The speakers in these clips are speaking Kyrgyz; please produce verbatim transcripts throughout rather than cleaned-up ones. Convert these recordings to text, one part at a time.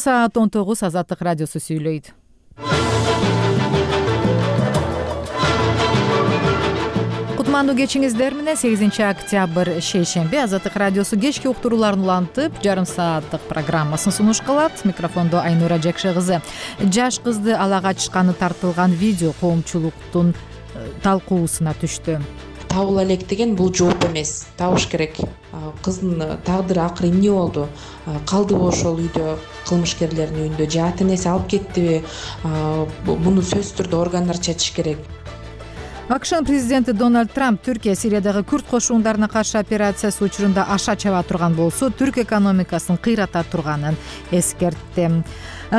Саат он тогуз Азаттык радиосу сүйлөйт. Кутмандуу кечиңиздер менен сегизинчи октябрь шейшемби Азаттык радиосу кечки уктурууларын улантып, жарым сааттык программасын сунуш кылат. Микрофондо Айнура Жакшы кызы. Жаш кызды ала качканы тартылган видео коомчулуктун талкуусуна түштү. Табыла элек деген бул жооп эмес. Табыш керек. Кыздын тагдыры акыры эмне болду? Калдыбы ошол үйдө, кылмышкерлердин үйүндө, же ата энеси алып кеттиби? Муну сөзсүз түрдө органдар чечиш керек. АКШнын президенти Дональд Трамп Түркия Сириядагы күрд кошундарына каршы операциясы учурунда аша чаба турган болсо, түрк экономикасын кыйрата турганын эскертти.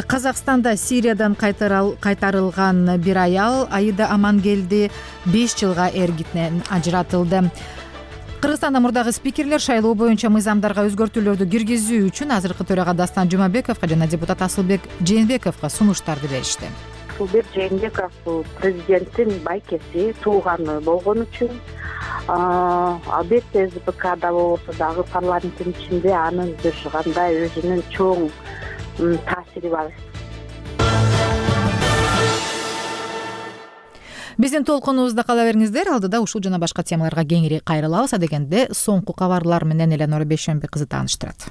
Казакстанда Сириядан кайтарылган бир аял Аида Амангелди беш жылга эргитинен ажыратылды. Кыргызстанда мурдагы спикерлер шайлоо боюнча мыйзамдарга өзгөртүүлөрдү киргизүү үчүн азыркы төрага Дастан Жумабековго жана депутат Асылбек Жээнбековго сунуштарды беришти. Асылбек Жээнбеков президенттин байкеси, тууганы болгон үчүн албетте СБКда болсо дагы парламенттин ичинде анын бир кандай өзүнүн чоң таасири бар. Биздин толкунубузда кала бериңиздер. Алдыда ушул жана башка темаларга кеңири кайрылабыз. Адегенде соңку кабарлар менен Эленора Бейшембек кызы тааныштырат.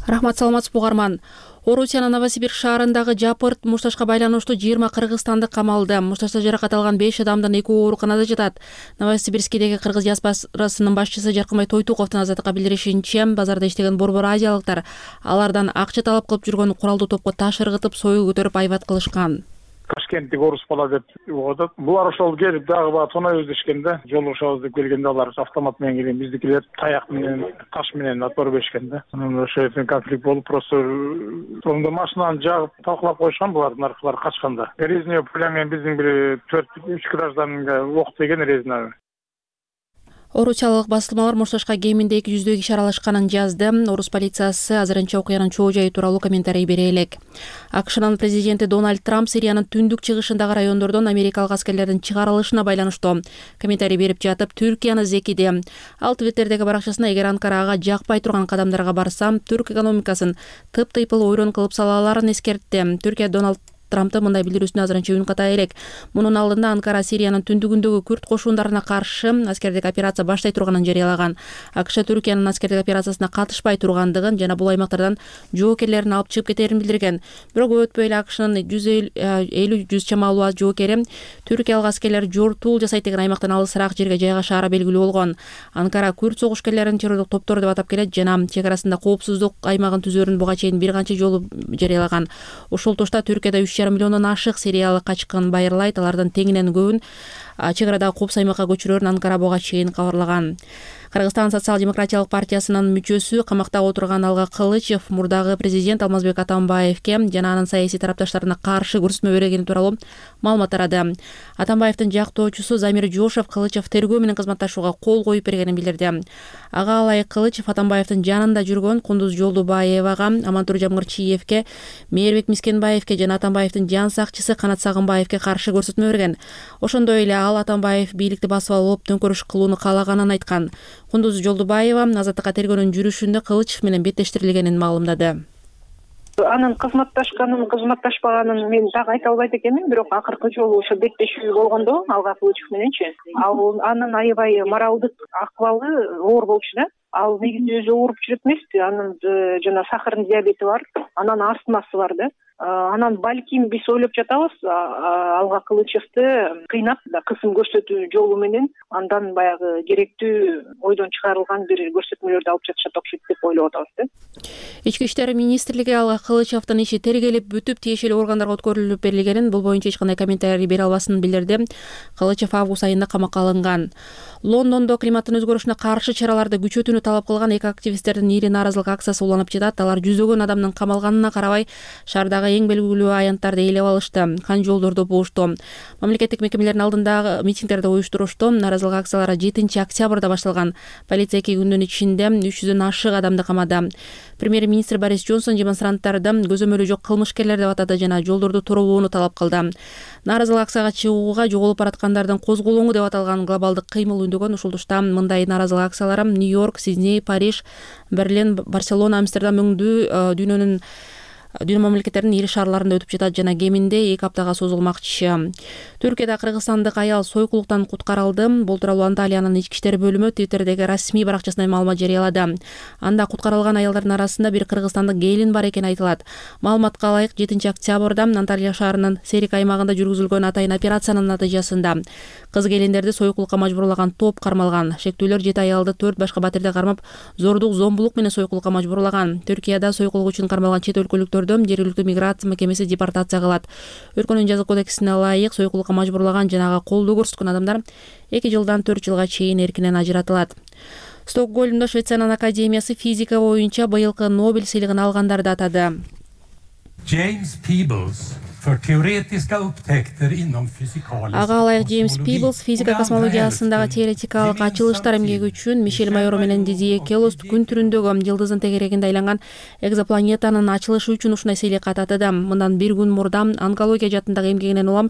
Рахмат, саламатсызбы угарман. Орусиянын Новосибирск шаарындагы Жапырт мушташка байланыштуу жыйырма кыргызстандык камалды. Мушташта жаракат алган беш адамдын экөө ооруканада жатат. Новосибирскидеги кыргыз диаспорасынын башчысы Жаркынбай Тойтуковдун Азаттыкка билдиришинче, базарда иштеген борбор азиялыктар алардан акча талап кылып жүргөн куралдуу топко таш ыргытып, сойыл көтөрүп айбат кылышкан. Ташкенттик орус бала деп угат. Булар ошол келип дагы баа тоной өздөшкөндө, жолугушабыз деп келгенде алар автомат менен келген, биздикилер таяк менен, таш менен отпор беришкенде. Анан ошо жерден конфликт болуп, просто сонда машинаны жагып талкалап коюшкан, булардын аркалары качканда. Резине пулямен биздин бир төрт үч гражданга ок деген резина. Орусиялык басылмалар Мушташка кеминде эки жүздөй киши аралашканын жазды. Орус полициясы азырынча окуянын чоо жайы тууралуу комментарий бере элек. АКШнын президенти Дональд Трамп Сириянын түндүк чыгышындагы райондордон америкалык аскерлердин чыгарылышына байланыштуу комментарий берип жатып, Түркияны зекиди. Ал Твиттердеги баракчасына эгер Анкара ага жакпай турган кадамдарга барсам, түрк экономикасын тып-тыйпыл ойрон кылып сала аларын эскертти. Түркия Дональд Трамптын мындай билдирүүсүнө азырынча үн ката элек. Мунун алдында Анкара Сириянын түндүгүндөгү күрд кошундарына каршы аскердик операция баштай турганын жарыялаган. АКШ Түркиянын аскердик операциясына катышпай тургандыгын жана бул аймактардан жоокерлерин алып чыгып кетерин билдирген. Бирок өтпөй эле АКШнын жүз элүү жүз чамалуу жоокери түркиялык аскерлер жортул жасайт деген аймактан алысыраак жерге жайгашаары белгилүү болгон. Анкара күрд согушкерлерин террорлук топтор деп атап келет жана чек арасында коопсуздук аймагын түзөрүн буга чейин бир канча жолу жарыялаган. Ошол тошта Түркияда үч жарым миллиондон ашык сириялык качкын байырлайт. Алардын теңинен көбүн чек арадагы коопсуз аймакка көчүрөрүн Анкара буга чейин кабарлаган. Кыргызстан социал-демократиялык партиясынын мүчөсү камакта отурган Алга Кылычев мурдагы президент Алмазбек Атамбаевке жана анын саясий тарапташтарына каршы көрсөтмө бергени тууралуу маалымат тарады. Атамбаевдин жактоочусу Замир Жошев Кылычев тергөө менен кызматташууга кол коюп бергенин билдирди. Ага ылайык Кылычев Атамбаевдин жанында жүргөн Кундуз Жолдубаевага, Амантур Жамгырчиевке, Мээрбек Мискенбаевке жана Атамбаевдин жан сакчысы Канат Сагынбаевке каршы көрсөтмө берген. Ошондой эле ал Атамбаев бийликти басып алып төңкөрүш кылууну каалаганын айткан. Кундуз Жолдубаева Азаттыкка тергөөнүн жүрүшүндө Кылычев менен беттештирилгенин маалымдады. Анын кызматташканын, кызматташпаганын мен так айта албайт экенмин, бирок акыркы жолу ошо беттешүү болгондо Алга Кылычев мененчи, ал анын аябай моралдык акыбалы оор болчу да. Ал негизи өзү ооруп жүрөт эмеспи, анын жана сахарный диабети бар, анан астмасы бар да. Анан балким биз ойлоп жатабыз, Алга Кылычевди кыйнап, кысым көрсөтүү жолу менен андан баягы керектүү ойдон чыгарылган бир көрсөтмөлөрдү алып жатышат окшойт деп ойлоп атабыз да. Ички иштер министрлиги Алга Кылычевдин иши тергелип бүтүп тиешелүү органдарга өткөрүлүп берилгенин, бул боюнча эч кандай комментарий бере албасын билдирди. Кылычев август айында камакка алынган. Лондондо климаттын өзгөрүшүнө каршы чараларды күчөтүүнү талап кылган эки активисттердин ири нааразылык акциясы уланып жатат. Алар жүздөгөн адамдын камалганына карабай шаардагы эң белгилүү аянттарды ээлеп алышты, кан жолдорду буушту. Мамлекеттик мекемелердин алдындагы митингдерди уюштурушту. Нааразылык акциялары жетинчи октябрда башталган. Полиция эки күндүн ичинде үч жүздөн ашык адамды камады. Премьер-министр Борис Джонсон демонстранттарды көзөмөлү жок кылмышкерлер деп атады жана жолдорду торобоону талап кылды. Нааразылык акцияга чыгууга жоголуп бараткандардын козголоңу деп аталган глобалдык кыймыл үндөгөн. Ушул тушта мындай нааразылык акциялар Нью-Йорк, Сидней, Париж, Берлин, Барселона, Амстердам өңдүү дүйнөнүн дүйнө мамлекеттеринин ири шаарларында өтүп жатат жана кеминде эки аптага созулмакчы. Түркияда кыргызстандык аял сойкулуктан куткарылды. Бул тууралуу Анталиянын ички иштер бөлүмү Твиттердеги расмий баракчасында маалымат жарыялады. Анда куткарылган аялдардын арасында бир кыргызстандык келин бар экени айтылат. Маалыматка ылайык жетинчи октябрда Анталия шаарынын Серик аймагында жүргүзүлгөн атайын операциянын натыйжасында кыз келиндерди сойкулукка мажбурлаган топ кармалган. Шектүүлөр жети аялды төрт башка батирде кармап, зордук, зомбулук менен сойкулукка мажбурлаган. Түркияда сойкулук үчүн кармалган чет өлкөлүктөрдү жергиликтүү миграция мекемеси депортация кылат. Өлкөнүн жаза кодексине ылайык сойкулукка мажбурлаган жана ага колдоо көрсөткөн адамдар эки жылдан төрт жылга чейин эркинен ажыратылат. Стокгольмдо Швециянын академиясы физика боюнча быйылкы Нобель сыйлыгын алгандарды атады. James Peebles för teoretiska upptäckter inom fysikalisk. Ага ылайык Джеймс Пиблс физика космологиясындагы теоретикалык ачылыштар эмгеги үчүн Мишель Майоро менен Дидье Келос күн түрүндөгү жылдыздын тегерегинде айланган экзопланетанын ачылышы үчүн ушундай сыйлыкка татады. Мындан бир күн мурда онкология жаатындагы эмгегинен улам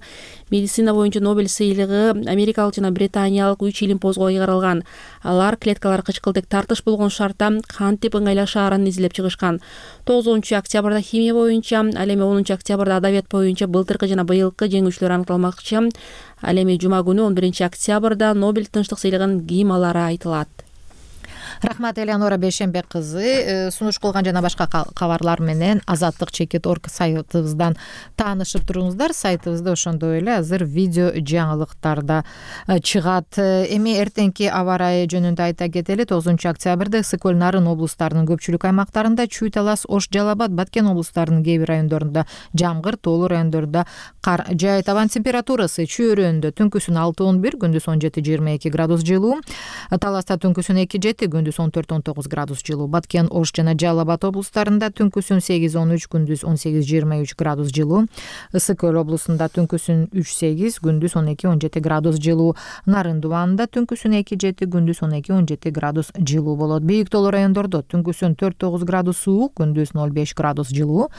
медицина боюнча Нобель сыйлыгы америкалык жана британиялык үч илимпозго ыйгарылган. Алар клеткалар кычкылтек тартыш болгон шартта кантип ыңгайлашаарын изилдеп чыгышкан. тогузунчу октябрда химия боюнча, ал эми онунчу октябрда адабият боюнча былтыркы жана быйылкы жеңүүчүлөр аныкталмакчы. Ал эми жума күнү он биринчи октябрда Нобель тынчтык сыйлыгын ким алары айтылат. Рахмат Элеонора Бейшембек кызы. Сунуш кылган жана башка кабарлар менен азаттык чекит точка орг сайтыбыздан таанышып туруңуздар. Сайтыбызда ошондой эле азыр видео жаңылыктарда чыгат. Эми эртеңки аба ырайы жөнүндө айта кетели. тогузунчу октябрда ысык көл, Нарын облустарынын көпчүлүк аймактарында, Чүй, Талас, Ош, Жалал Абад, Баткен облустарынын кээ бир райондорунда жамгыр, тоолуу райондордо кар жаайт. Абанын температурасы Чүй өрөөнүндө түнкүсүн алты он бир, күндүз он жети жыйырма эки градус жылуу. Таласта түнкүсүн эки жети, күндүз он төрт он тогуз градус жылуу. Баткен, Ош жана Жалал Абад облустарында түнкүсүн сегиз он үч, күндүз он сегиз жыйырма үч градус жылуу. Ысык көл облусунда түнкүсүн үч сегиз, күндүз он эки он жети градус жылуу. Нарын дубанында түнкүсүн эки жети, күндүз он эки он жети градус жылуу болот. Бийик тоолуу райондордо түнкүсүн төрт тогуз градус суук, күндүз ноль беш градус жылуу.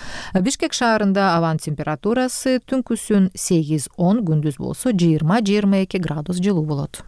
Бишкек шаарында абанын температурасы түнкүсүн сегиз он, күндүз болсо жыйырма жыйырма эки градус жылуу болот.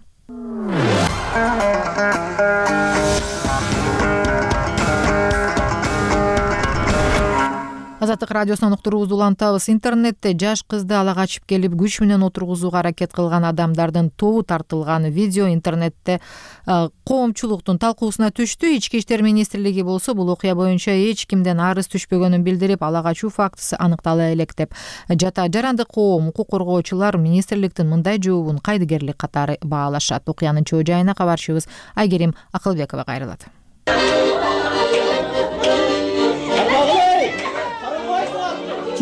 Азаттык радиосунан уктуруубузду улантабыз. Интернетте жаш кызды ала качып келип күч менен отургузууга аракет кылган адамдардын тобу тартылган видео интернетте коомчулуктун талкуусуна түштү. Ички иштер министрлиги болсо бул окуя боюнча эч кимден арыз түшпөгөнүн билдирип, ала качуу фактысы аныктала элек деп жата. Жарандык коом, укук коргоочулар министрликтин мындай жообун кайдыгерлик катары баалашат. Окуянын чоо жайына кабарчыбыз Айгерим Акылбекова кайрылат.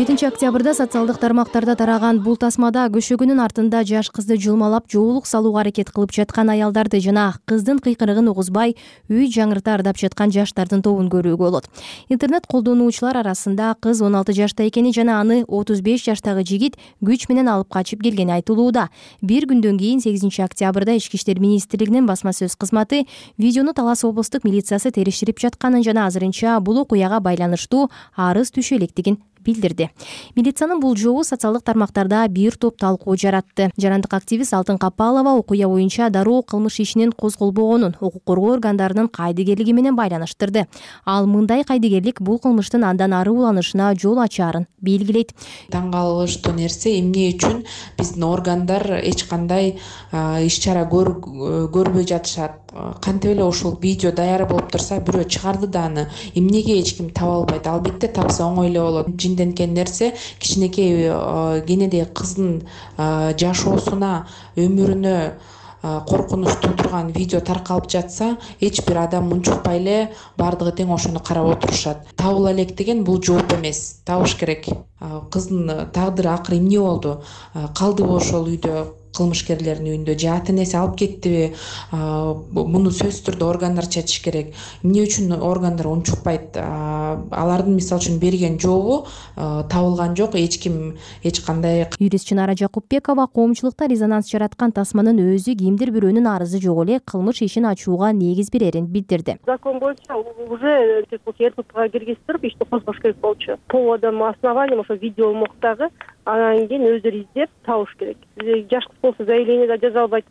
жетинчи октябрда социалдык тармактарда тараган бул тасмада көшөгүнүн артында жаш кызды жулмалап жоолук салууга аракет кылып жаткан аялдарды жана кыздын кыйкырыгын угузбай үй жаңырта ырдап жаткан жаштардын тобун көрүүгө болот. Интернет колдонуучулар арасында кыз он алты жашта экени жана аны отуз беш жаштагы жигит күч менен алып качып келгени айтылууда. Бир күндөн кийин сегизинчи октябрда Ички иштер министрлигинин басма сөз кызматы видеону Талас облустук милициясы териштирип жатканын жана азырынча бул окуяга байланыштуу арыз түшө электигин билдирди. Милициянын бул жообу социалдык тармактарда бир топ талкуу жаратты. Жарандык активист Алтын Капалова окуя боюнча дароо кылмыш ишинин козголбогонун укук коргоо органдарынын кайдыгерлиги менен байланыштырды. Ал мындай кайдыгерлик бул кылмыштын андан ары уланышына жол ачаарын белгилейт. Таң калыштуу нерсе эмне үчүн биздин органдар эч кандай иш чара көрбөй жатышат. Кантип эле ушул видео даяр болуп турса, бирөө чыгарды да аны эмнеге эч ким таба албайт? Албетте тапса оңой эле болот. Жинденкен нерсе кичинекей кенедей кыздын жашоосуна, өмүрүнө коркунуч туудурган видео таркалып жатса, эч бир адам унчукпай эле бардыгы тең ошону карап отурушат. Табыла элек деген бул жооп эмес, табыш керек. Кыздын тагдыры акыры эмне болду? Калдыбы ошол үйдө, кылмышкерлердин үйүндө, же ата энеси алып кеттиби? Муну сөзсүз түрдө органдар чечиш керек. Эмне үчүн органдар унчукпайт? Алардын мисалы үчүн берген жообу табылган жок, эч ким эч кандай. Юрист Чынара Жакупбекова коомчулукта резонанс жараткан тасманын өзү кимдир бирөөнүн арызы жок эле кылмыш ишин ачууга негиз берерин билдирди. Закон боюнча уже РППга киргизип ишти козгош керек болчу. Поводом, основанием ошо видео моктагы анан кийин өздөрү издеп табыш керек. Жаш кыз болсо заявление да жаза албайт,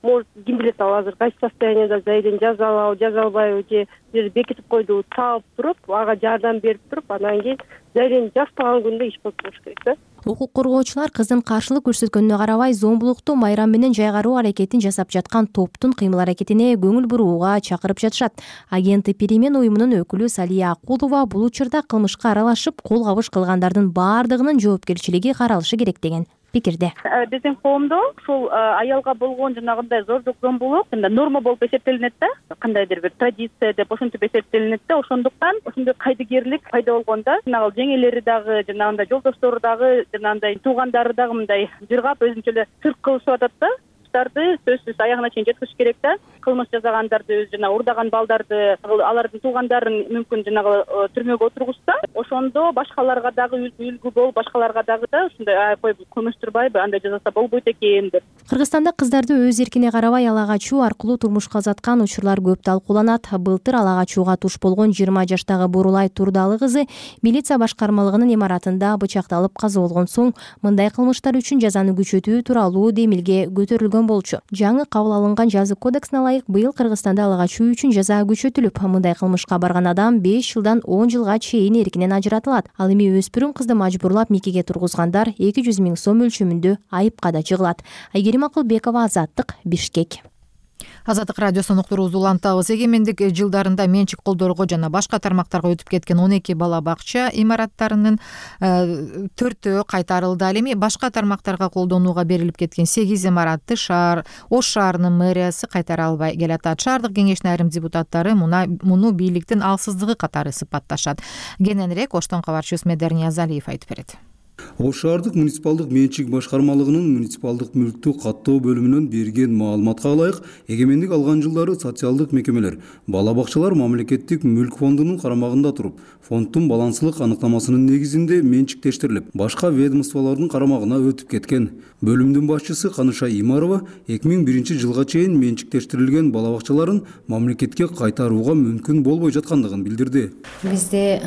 может ким билет ал азыр кайсы состояниеда зайден жаза алабы жаза албайбы же бир бекитип койду таап туруп ага жардам берип туруп анан кийин зайден жазбаган күндө иш кылып туруш керек да. Укук коргоочулар кыздын каршылык көрсөткөнүнө карабай зомбулукту майрам менен жайгаруу аракетин жасап жаткан топтун кыймыл аракетине көңүл бурууга чакырып жатышат. Агенти Перемен уюмунун өкүлү Салия Акулова бул учурда кылмышка аралашып кол кабыш кылгандардын баардыгынын жоопкерчилиги каралышы керек деген пикирде. Биздин коомдо ушул аялга болгон жанагындай зордук зомбулук норма болуп эсептелинет да, кандайдыр бир традиция деп ошентип эсептелинет да. Ошондуктан ошондой кайдыгерлик пайда болгондо жанагы жеңелери дагы, жанагындай жолдоштору дагы, жанагындай туугандары дагы мындай жыргап өзүнчө эле цирк кылышып атат да. Сөзсүз аягына чейин жеткизиш керек да. Кылмыш жасагандарды, жана урдаган балдарды, алардын туугандарын мүмкүн жанагы түрмөгө отургузса, ошондо башкаларга дагы үлгү болуп, башкаларга дагы да ушундай ай кой көмүштүрбайбы, андай жасаса болбойт экен деп. Кыргызстанда кыздарды өз эркине карабай ала качуу аркылуу турмушка узаткан учурлар көп талкууланат. Былтыр ала качууга туш болгон жыйырма жаштагы Бурулай Турдалы кызы милиция башкармалыгынын имаратында бычакталып каза болгон соң мындай кылмыштар үчүн жазаны күчөтүү тууралуу демилге көтөрүлгөн болчу. Жаңы кабыл алынган жаза кодексине ылайык быйыл Кыргызстанда ала качуу үчүн жаза күчөтүлүп, мындай кылмышка барган адам беш жылдан он жылга чейин эркинен ажыратылат. Ал эми өспүрүм кызды мажбурлап никеге тургузгандар эки жүз миң сом өлчөмүндө айыпка да жыгылат. Айгерим Акылбекова, Азаттык, Бишкек. Азаттык радиосунун уктуруубузду улантабыз. Эгемендик жылдарында менчик колдорго жана башка тармактарга өтүп кеткен он эки бала бакча имараттарынын төртөө кайтарылды. Ал эми башка тармактарга колдонууга берилип кеткен сегиз имаратты шаар Ош шаарынын мэриясы кайтара албай келатат. Шаардык кеңештин айрым депутаттары муну бийликтин алсыздыгы катары сыпатташат. Кененирээк Оштон кабарчыбыз Медер Ниязалиев айтып берет. Ош шаардык муниципалдык менчик башкармалыгынын муниципалдык мүлктү каттоо бөлүмүнөн берген маалыматка ылайык, эгемендик алган жылдары социалдык мекемелер бала бакчалар мамлекеттик мүлк фондунун карамагында туруп, фонддун баланслык аныктамасынын негизинде менчиктештирилип, башка ведомстволордун карамагына өтүп кеткен. Бөлүмдүн башчысы Каныша Имарова эки миң биринчи жылга чейин менчиктештирилген бала бакчаларын мамлекетке кайтарууга мүмкүн болбой жаткандыгын билдирди. Бизде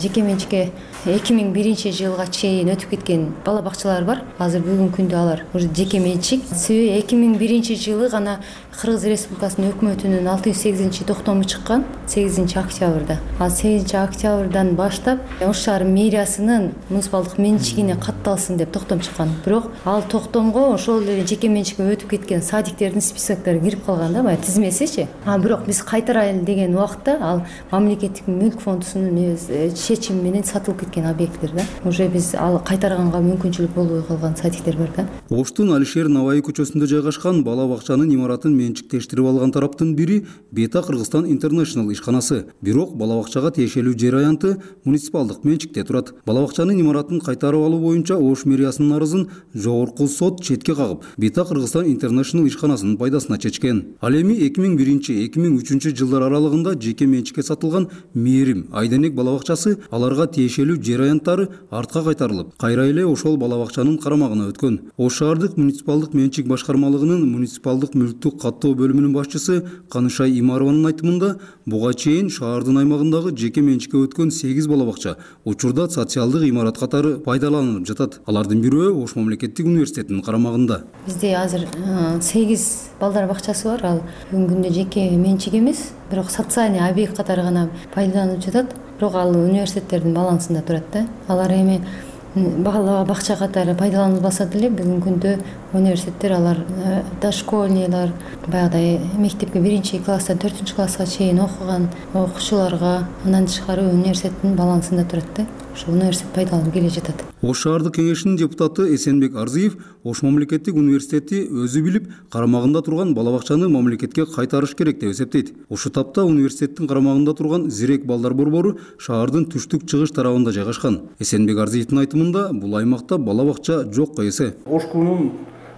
жеке менчикке эки миң биринчи жылга чейин өтүп кеткен бала бакчалар бар. Азыр бүгүнкү күндө алар уже жеке менчик. Себеби эки миң биринчи жылы гана Кыргыз Республикасынын өкмөтүнүн алты жүз сегизинчи токтому чыккан сегизинчи октябрда. Ал сегизинчи октябрдан баштап Ош шаар мэриясынын муниципалдык менчигине катталсын деп токтом чыккан. Бирок ал токтомго ошол эле жеке менчикке өтүп кеткен садиктердин списоктору кирип калган да, баягы тизмесичи. А бирок биз кайтарайлы деген убакта ал мамлекеттик мүлк фондунун чечими менен сатылып кеткен объекттер да. Уже биз ал кайтарганга мүмкүнчүлүк болбой калган садиктер бар да. Оштун Алишер Наваи көчөсүндө жайгашкан бала бакчанын имаратын менчиктештирип алган тараптын бири Бета Кыргызстан International ишканасы. Бирок бала бакчага тиешелүү жер аянты муниципалдык менчикте турат. Бала бакчанын имаратын кайтарып алуу боюнча Ош мэриясынын арызын жогорку сот четке кагып, Бета Кыргызстан International ишканасынын пайдасына чечкен. Ал эми эки миң биринчи эки миң үчүнчү жылдар аралыгында жеке менчикке сатылган Мээрим Айденек бала бакчасы аларга тиешелүү жер аянттары артка кайтарылып, кайра эле ошол бала бакчанын карамагына өткөн. Ош шаардык муниципалдык менчик башкармалыгынын муниципалдык мүлктү каттоо бөлүмүнүн башчысы Каныша Имарованын айтымында, буга чейин шаардын аймагындагы жеке менчикке өткөн сегиз бала бакча учурда социалдык имарат катары пайдаланылып жатат. Алардын бирөө Ош мамлекеттик университетинин карамагында. Бизде азыр сегиз балдар бакчасы бар. Ал бүгүнкү күндө жеке менчик эмес, бирок социальный объект катары гана пайдаланылып жатат. Бирок ал университеттердин балансында турат да. Алар эми бала бакча катары пайдаланылбаса деле бүгүнкү күндө университеттер алар дошкольнийлар, баягыдай мектепке биринчи класстан төртүнчү класска чейин окуган окуучуларга андан тышкары университеттин балансында турат да. Ошол университет пайдаланып келе жатат. Ош шаардык кеңешинин депутаты Эсенбек Арзиев Ош мамлекеттик университети өзү билип, карамагында турган бала бакчаны мамлекетке кайтарыш керек деп эсептейт. Ошол тапта университеттин карамагында турган Зирек балдар борбору шаардын түштүк чыгыш тарабында жайгашкан. Эсенбек Арзиевдин айтымында, бул аймакта бала бакча жокко эсе. Ошкунун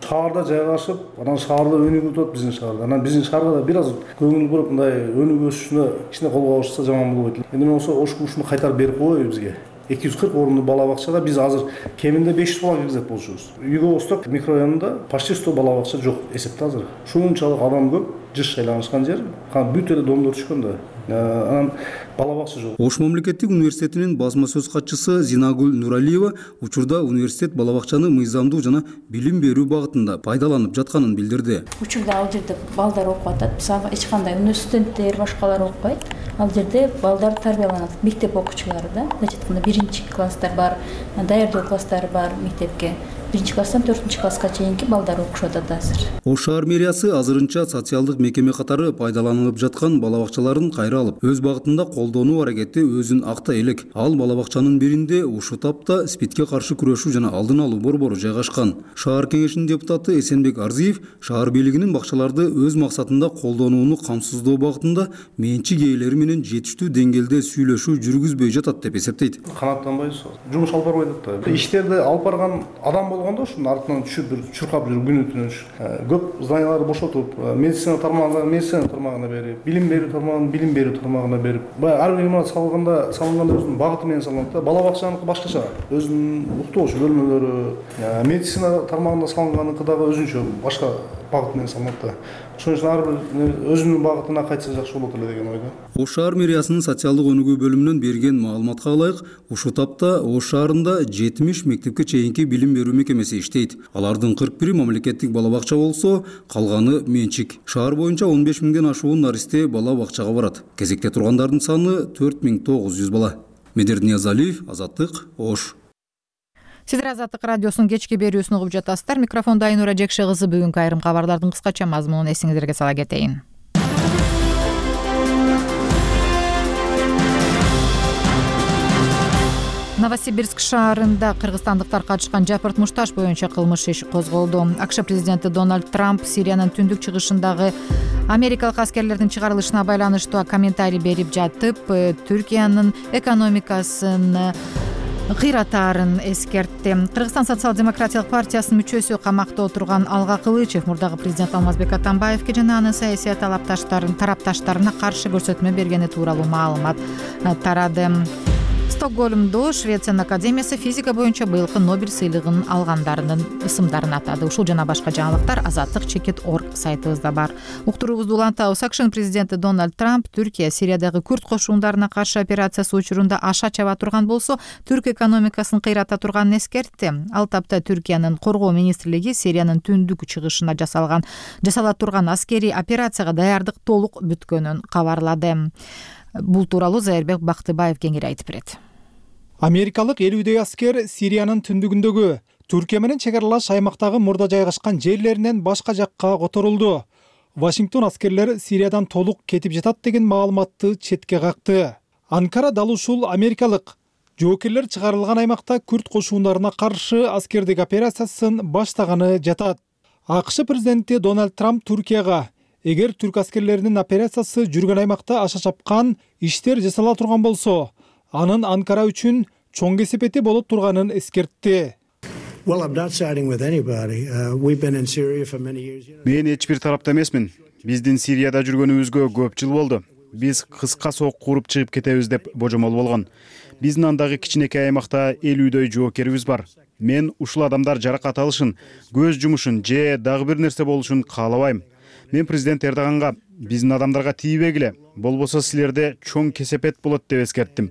шаарда жайгашып, анан шаарда өнүгүп атат биздин шаарда. Анан биздин шаарга да бир аз көңүл буруп, мындай өнүгүп өсүшүнө кичине кол кабышса жаман болбойт. Эми болсо Ошку ушуну кайтарып берип койбойбу бизге? эки жүз кырк орунду бала бакчада биз азыр кеминде беш жүз бала киргизет болчубуз. Юго Восток микрорайонунда почти сто бала бакча жок эсепте азыр. Ушунчалык адам көп. жыш айланышкан жер, бүт эле домдор түшкөн да. Анан бала бакча жок. Ош мамлекеттик университетинин басма сөз катчысы Зинагүл Нуралиева учурда университет бала бакчаны мыйзамдуу жана билим берүү багытында пайдаланып жатканын билдирди. Учурда ал жерде балдар окуп атат. Мисалы эч кандай университенттер, башкалар окупайт. Ал жерде балдар тарбияланат, мектеп окуучулары да. Мындай айтканда биринчи класстар бар, даярдоо класстары бар мектепке. биринчи класстан төртүнчү класска чейинки балдар окушуп атат азыр. Ош шаар мэриясы азырынча социалдык мекеме катары пайдаланылып жаткан бала бакчаларын кайра алып, өз багытында колдонуу аракети өзүн актай элек. Ал бала бакчанын биринде ушул тапта спидке каршы күрөшүү жана алдын алуу борбору жайгашкан. Шаар кеңешинин депутаты Эсенбек Арзиев шаар бийлигинин бакчаларды өз максатында колдонууну камсыздоо багытында менчик ээлери менен жетиштүү деңгээлде сүйлөшүү жүргүзбөй жатат деп эсептейт. Канааттанбайбыз, жумуш алып барбай атат да. Иштерди алып барган адам болгондо ушунун артынан түшүп бир чуркап жүрүп күнү түнү көп зданияларды бошотуп, медицина тармагына медицина тармагына берип, билим берүү тармагына билим берүү тармагына берип, баягы ар бир имарат салганда салынганда өзүнүн багыты менен салынат да. Бала бакчаныкы башкача, өзүнүн уктоочу бөлмөлөрү, медицина тармагында салынганыкы дагы өзүнчө башка багыт менен салынат да. Ошон үчүн ар бир өзүнүн багытына кайтса жакшы болот эле деген ойдо. Ош шаар мэриясынын социалдык өнүгүү бөлүмүнөн берген маалыматка ылайык, ушул тапта Ош шаарында жетимиш мектепке чейинки билим берүү мекемеси иштейт. Алардын кырк бири мамлекеттик бала бакча болсо, калганы менчик. Шаар боюнча он беш миңден ашуун наристе бала бакчага барат. Кезекте тургандардын саны төрт миң тогуз жүз бала. Медер Ниязалиев, Азаттык, Ош. Сиздер Азаттык радиосунун кечки берүүсүн угуп жатасыздар. Микрофондо Айнура Жекше кызы. Бүгүнкү айрым кабарлардын кыскача мазмунун эсиңиздерге сала кетейин. Новосибирск шаарында кыргызстандыктар катышкан жапырт мушташ боюнча кылмыш иш козголду. АКШ президенти Дональд Трамп Сириянын түндүк чыгышындагы америкалык аскерлердин чыгарылышына байланыштуу комментарий берип жатып, Түркиянын экономикасын кыйратаарын эскертти. Кыргызстан социал-демократиялык партиясынын мүчөсү камакта отурган Алга Кылычев мурдагы президент Алмазбек Атамбаевге жана анын саясий тарапташтарына каршы көрсөтмө бергени тууралуу маалымат тарады. Стокгольмдо Швециянын академиясы физика боюнча быйылкы Нобель сыйлыгын алгандарынын ысымдарын атады. Ушул жана башка жаңылыктар азаттык чекит точка орг сайтыбызда бар. Уктуруубузду улантабыз. АКШнын президенти Дональд Трамп Түркия Сириядагы күрд кошундарына каршы операциясы учурунда аша чаба турган болсо, түрк экономикасын кыйрата турганын эскертти. Ал тапта Түркиянын коргоо министрлиги Сириянын түндүк чыгышына жасалган жасала турган аскерий операцияга даярдык толук бүткөнүн кабарлады. Бул тууралуу Зайырбек Бактыбаев кеңири айтып берет. Америкалык элүүдөй аскер Сириянын түндүгүндөгү Түркия менен чек аралаш аймактагы мурда жайгашкан жерлеринен башка жакка которулду. Вашингтон аскерлер Сириядан толук кетип жатат деген маалыматты четке какты. Анкара дал ушул америкалык жоокерлер чыгарылган аймакта күрд кошундарына каршы аскердик операциясын баштаганы жатат. АКШ президенти Дональд Трамп Түркияга эгер түрк аскерлеринин операциясы жүргөн аймакта аша чапкан иштер жасала турган болсо, анын Анкара үчүн чоң кесепети болот турганын эскертти. Мен эч бир тарапта эмесмин. Биздин Сирияда жүргөнүбүзгө көп жыл болду. Биз кыска сок куруп чыгып кетебиз деп божомол болгон. Биздин андагы кичинекей аймакта элүүдөй жоокерибиз бар. Мен ушул адамдар жаракат алышын, көз жумушун же дагы бир нерсе болушун каалабайм. Мен президент Эрдоганга биздин адамдарга тийбегиле, болбосо силерде чоң кесепет болот деп эскерттим.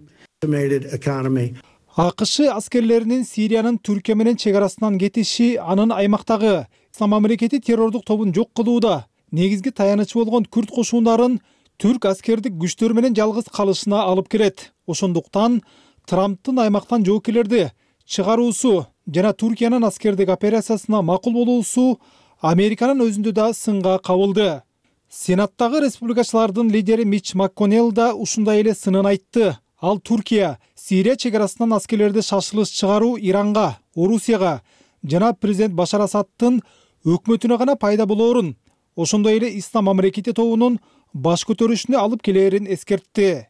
АКШ аскерлеринин Сириянын Түркия менен чек арасынан кетиши анын аймактагы Ислам мамлекети террордук тобун жок кылууда негизги таянычы болгон күрд кошундарын түрк аскердик күчтөр менен жалгыз калышына алып келет. Ошондуктан Трамптын аймактан жоокерлерди чыгаруусу жана Түркиянын аскердик операциясына макул болуусу Американын өзүндө да сынга кабылды. Сенаттагы республикачылардын лидери Мич МакКоннелл да ушундай эле сынын айтты. Ал Түркия Сирия чек арасынан аскерлерди шашылыш чыгаруу Иранга, Орусияга жана президент Башар Асадтын өкмөтүнө гана пайда болоорун, ошондой эле Ислам мамлекети тобунун баш көтөрүшүнө алып келээрин эскертти.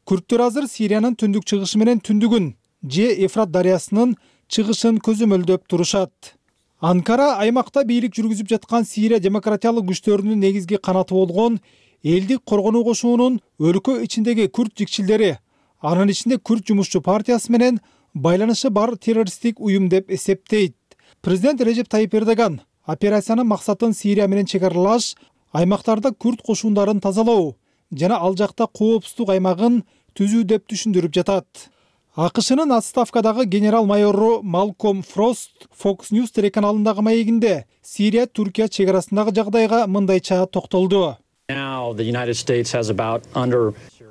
Күрттөр азыр Сириянын түндүк чыгышы менен түндүгүн же Эфрат дарыясынын чыгышын көзөмөлдөп турушат. Анкара аймакта бийлик жүргүзүп жаткан Сирия демократиялык күчтөрүнүн негизги канаты болгон элдик коргонуу кошуунун өлкө ичиндеги күрд жикчилдери, анын ичинде Күрд жумушчу партиясы менен байланышы бар террористтик уюм деп эсептейт. Президент Режеп Тайип Эрдоган операциянын максатын Сирия менен чек аралаш аймактарда күрд кошундарын тазалоо жана ал жакта коопсуздук аймагын түзүү деп түшүндүрүп жатат. АКШнын отставкадагы генерал майору Малком Фрост Fox News телеканалындагы маегинде Сирия Түркия чек арасындагы жагдайга мындайча токтолду.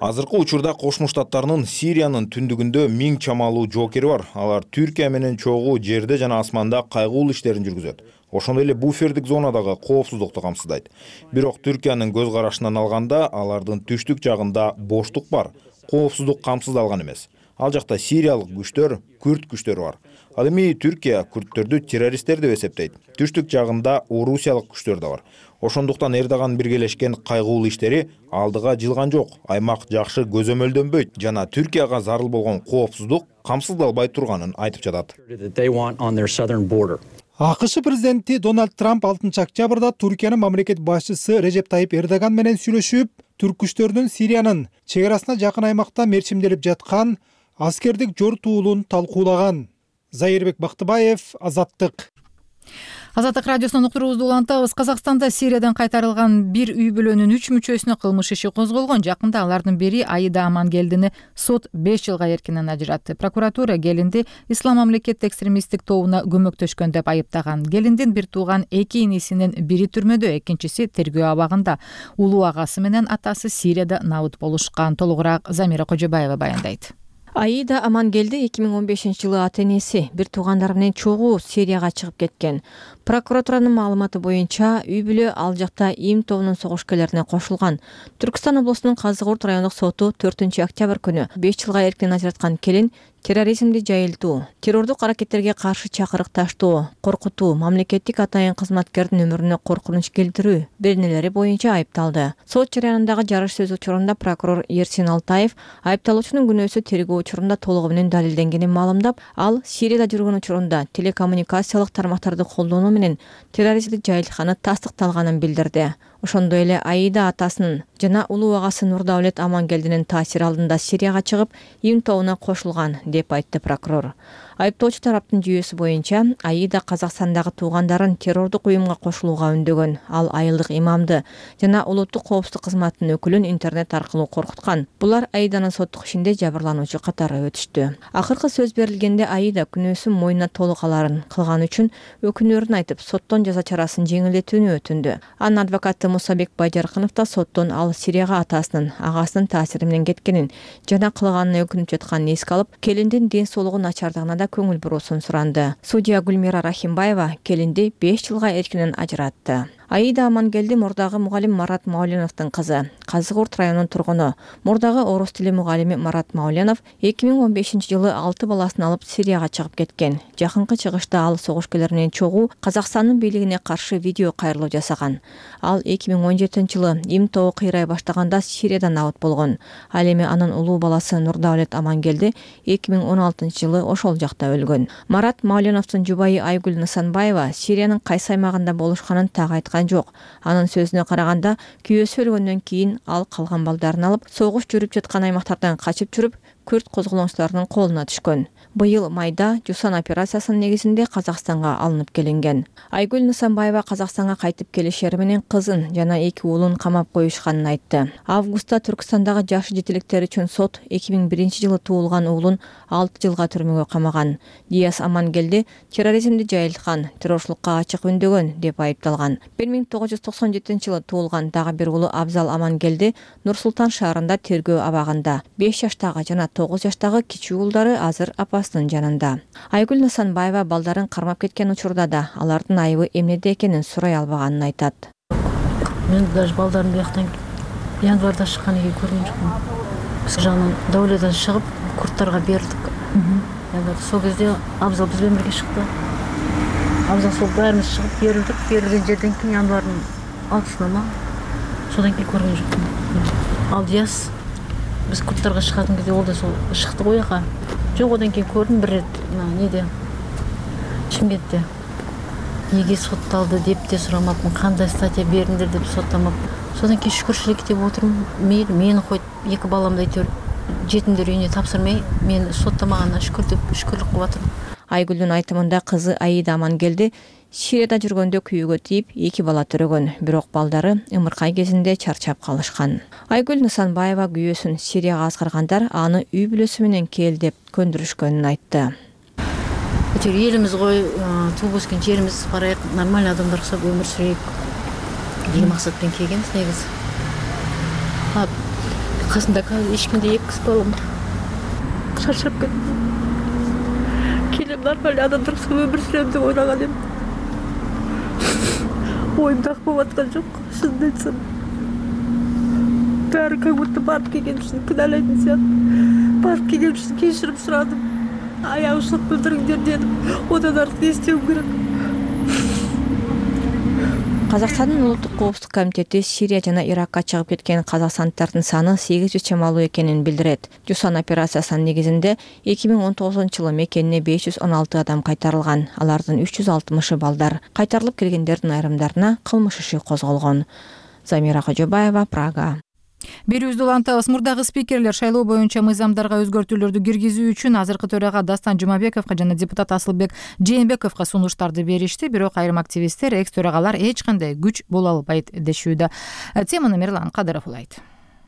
Азыркы учурда Кошмо Штаттарынын Сириянын түндүгүндө миң чамалуу жоокери бар. Алар Түркия менен чогуу жерде жана асманда кайгылуу иштерин жүргүзөт. Ошондой эле буфердик зонадагы коопсуздукту камсыздайт. Бирок Түркиянын көз карашынан алганда алардын түштүк жагында боштук бар. Коопсуздук камсыздалган эмес. Ал жакта сириялык күчтөр, күрд күчтөрү бар. Ал эми Түркия күрдтөрдү террористтер деп эсептейт. Түштүк жагында орусиялык күчтөр да бар. Ошондуктан Эрдоган биргелешкен кайгылуу иштери алдыга жылган жок. Аймак жакшы көзөмөлдөнбөйт жана Түркияга зарыл болгон коопсуздук камсыздалбай турганын айтып жатат. АКШ президенти Дональд Трамп алтынчы октябрда Түркиянын мамлекет башчысы Режеп Тайип Эрдоган менен сүйлөшүп, түрк күчтөрүнүн Сириянын чек арасына жакын аймакта мерчимделип жаткан аскердик жортуулун талкуулаган. Зайырбек Бактыбаев, Азаттык. Азаттык радиосунун уктуруубузду улантабыз. Казакстанда Сириядан кайтарылган бир үй бүлөнүн үч мүчөсүнө кылмыш иши козголгон. Жакында алардын бири Аида Амангелдини сот беш жылга эркинен ажыратты. Прокуратура келинди ислам мамлекет экстремисттик тобуна көмөктөшкөн деп айыптаган. Келиндин бир тууган эки инисинин бири түрмөдө, экинчиси тергөө абагында. Улуу агасы менен атасы Сирияда набыт болушкан. Толугураак Замира Кожобаева баяндайт. Аида Амангелди эки миң он бешинчи жылы ата энеси бир туугандары менен чогуу Сирияга чыгып кеткен. Прокуратуранын маалыматы боюнча үй бүлө ал жакта ИИМ тобунун согушкерлерине кошулган. Түркстан облусунун Казыгурт райондук соту төртүнчү октябрь күнү беш жылга эркинен ажыраткан келин терроризмди жайылтуу, террордук аракеттерге каршы чакырык таштоо, коркутуу, мамлекеттик атайын кызматкердин өмүрүнө коркунуч келтирүү беренелери боюнча айыпталды. Сот жарыянындагы жарыш сөз учурунда прокурор Ерсин Алтаев айыпталуучунун күнөөсү тергөө учурунда толугу менен далилденгенин маалымдап, ал Сирияда жүргөн учурунда телекоммуникациялык тармактарды колдонуу менен терроризмди жайылтканы тастыкталганын билдирди. Ошондой эле Аида атасынын жана улуу агасы Нурдаулет Амангелдинин таасири алдында Сирияга чыгып, ИИМ тобуна кошулган деп айтты прокурор. Айыптоочу тараптын жүйөсү боюнча Аида Казакстандагы туугандарын террордук уюмга кошулууга үндөгөн. Ал айылдык имамды жана улуттук коопсуздук кызматынын өкүлүн интернет аркылуу коркуткан. Булар Аиданын соттук ишинде жабырлануучу катары өтүштү. Акыркы сөз берилгенде Аида күнөөсүн мойнуна толук аларын кылган үчүн өкүнөрүн айтып, соттон жаза чарасын жеңилдетүүнү өтүндү. Анын адвокаты Мусабек Байжаркынов да соттон ал Сирияга атасынын, агасынын таасири менен кеткенин жана кылганына өкүнүп жатканын эске алып, келиндин ден соолугу начардыгына да көңүл буруусун суранды. Судья Гүлмира Рахимбаева келинди беш жылга эркинен ажыратты. Аида Амангелди мурдагы мугалим Марат Мауленовдун кызы. Казыгурт районунун тургуну. Мурдагы орус тили мугалими Марат Мауленов эки миң он бешинчи жылы алты баласын алып Сирияга чыгып кеткен. Жакынкы чыгышта ал согушкерлер менен чогуу Казакстандын бийлигине каршы видео кайрылуу жасаган. Ал эки миң он жетинчи жылы ИИМ тобу кыйрай баштаганда Сирияда набыт болгон. Ал эми анын улуу баласы Нурдаулет Амангелди эки миң он алтынчы жылы ошол жакта өлгөн. Марат Мауленовдун жубайы Айгүл Нысанбаева Сириянын кайсы аймагында болушканын так айткан жок. Анын сөзүнө караганда, күйөөсү өлгөндөн кийин ал калган балдарын алып, согуш жүрүп жаткан аймактардан качып жүрүп, күрд козголоңчуларынын колуна түшкөн. Быйыл майда Жусан операциясынын негизинде Казакстанга алынып келинген. Айгүл Нысанбаева Казакстанга кайтып келишери менен кызын жана эки уулун камап коюшканын айтты. Августта Түркстандагы жаш жетиликтер үчүн сот эки миң биринчи жылы туулган уулун алты жылга түрмөгө камаган. Диас Амангелди терроризмди жайылткан, террорчулукка ачык үндөгөн деп айыпталган. бир миң тогуз жүз токсон жетинчи жылы туулган дагы бир уулу Абзал Амангелди Нур Султан шаарында тергөө абагында. беш жаштагы жана тогуз жаштагы кичүү уулдары азыр апасынын жанында. Айгүл Нысанбаева балдарын кармап кеткен учурда да алардын айыбы эмнеде экенин сурай албаганын айтат. Мен даже балдарын бияктан январда чыкканын кийин көргөн жокмун. Биз жагынан Даулеттен чыгып, курттарга бердик. Сол кезде Абзал биз менен бирге чыкты. Абзал сол баарыбыз чыгып берилдик. Берилген жерден кийин январдын алтысына ма? Содан кийин көргөн жокмун. Ал Диас биз курттарга чыгатын кезде ол да сол чыкты го жака. Жок, одан кийин көрдүм бир рет неде Чимкентте. Неге сотталды деп те сурамапмын, кандай статья бериңдер деп соттамап. Содан кийин шүкүрчүлүк деп отурмун. Мейли, мени койт, эки баламды әйтеуір жетимдер үйүнө тапсырмай, мени соттамаганына шүкүр деп шүкүрлүк кылып атырмын. Айгүлдүн айтымында кызы Аида Амангелди Сирияда жүргөндө күйүүгө тийип эки бала төрөгөн, бирок балдары ымыркай кезинде чарчап калышкан. Айгүл Нысанбаева күйөөсүн Сирияга аскаргандар аны үй бүлөсү менен кел деп көндүрүшкөнүн айтты. Элimiz кой, тууп өскөн жерибиз барайык, нормальный адамдар окшоп өмүр сүрөйүк деген максатпен келгенбиз негизи. Касымда казыр эч кимде эки кыз балам бар. Чарчап кеттим. Келем нормальный адамдар окшоп өмүр сүрөм деп ойлаган эдим. Оюмда болуп аткан жок, шынын айтсам. Баары как будто барып келген үчүн кыналайтын сыяктуу. Барып келген үчүн кечирим сурадым. Аягышып билдириңдер дедим. Одан артык не истеуим керек? Казакстандын улуттук коопсуздук комитети Сирия жана Иракка чыгып кеткен казакстандыктардын саны сегиз жүз чамалуу экенин билдирет. Жусан операциясынын негизинде эки миң он тогузунчу жылы мекенине беш жүз он алты адам кайтарылган. Алардын үч жүз алтымышы балдар. Кайтарылып келгендердин айрымдарына кылмыш иши козголгон. Замира Кожобаева, Прага. Берүүбүздү улантабыз. Мурдагы спикерлер шайлоо боюнча мыйзамдарга өзгөртүүлөрдү киргизүү үчүн азыркы төрага Дастан Жумабековго жана депутат Асылбек Жээнбековго сунуштарды беришти, бирок айрым активисттер экс төрагалар эч кандай күч боло албайт дешүүдө. Теманы Мирлан Кадыров улайт.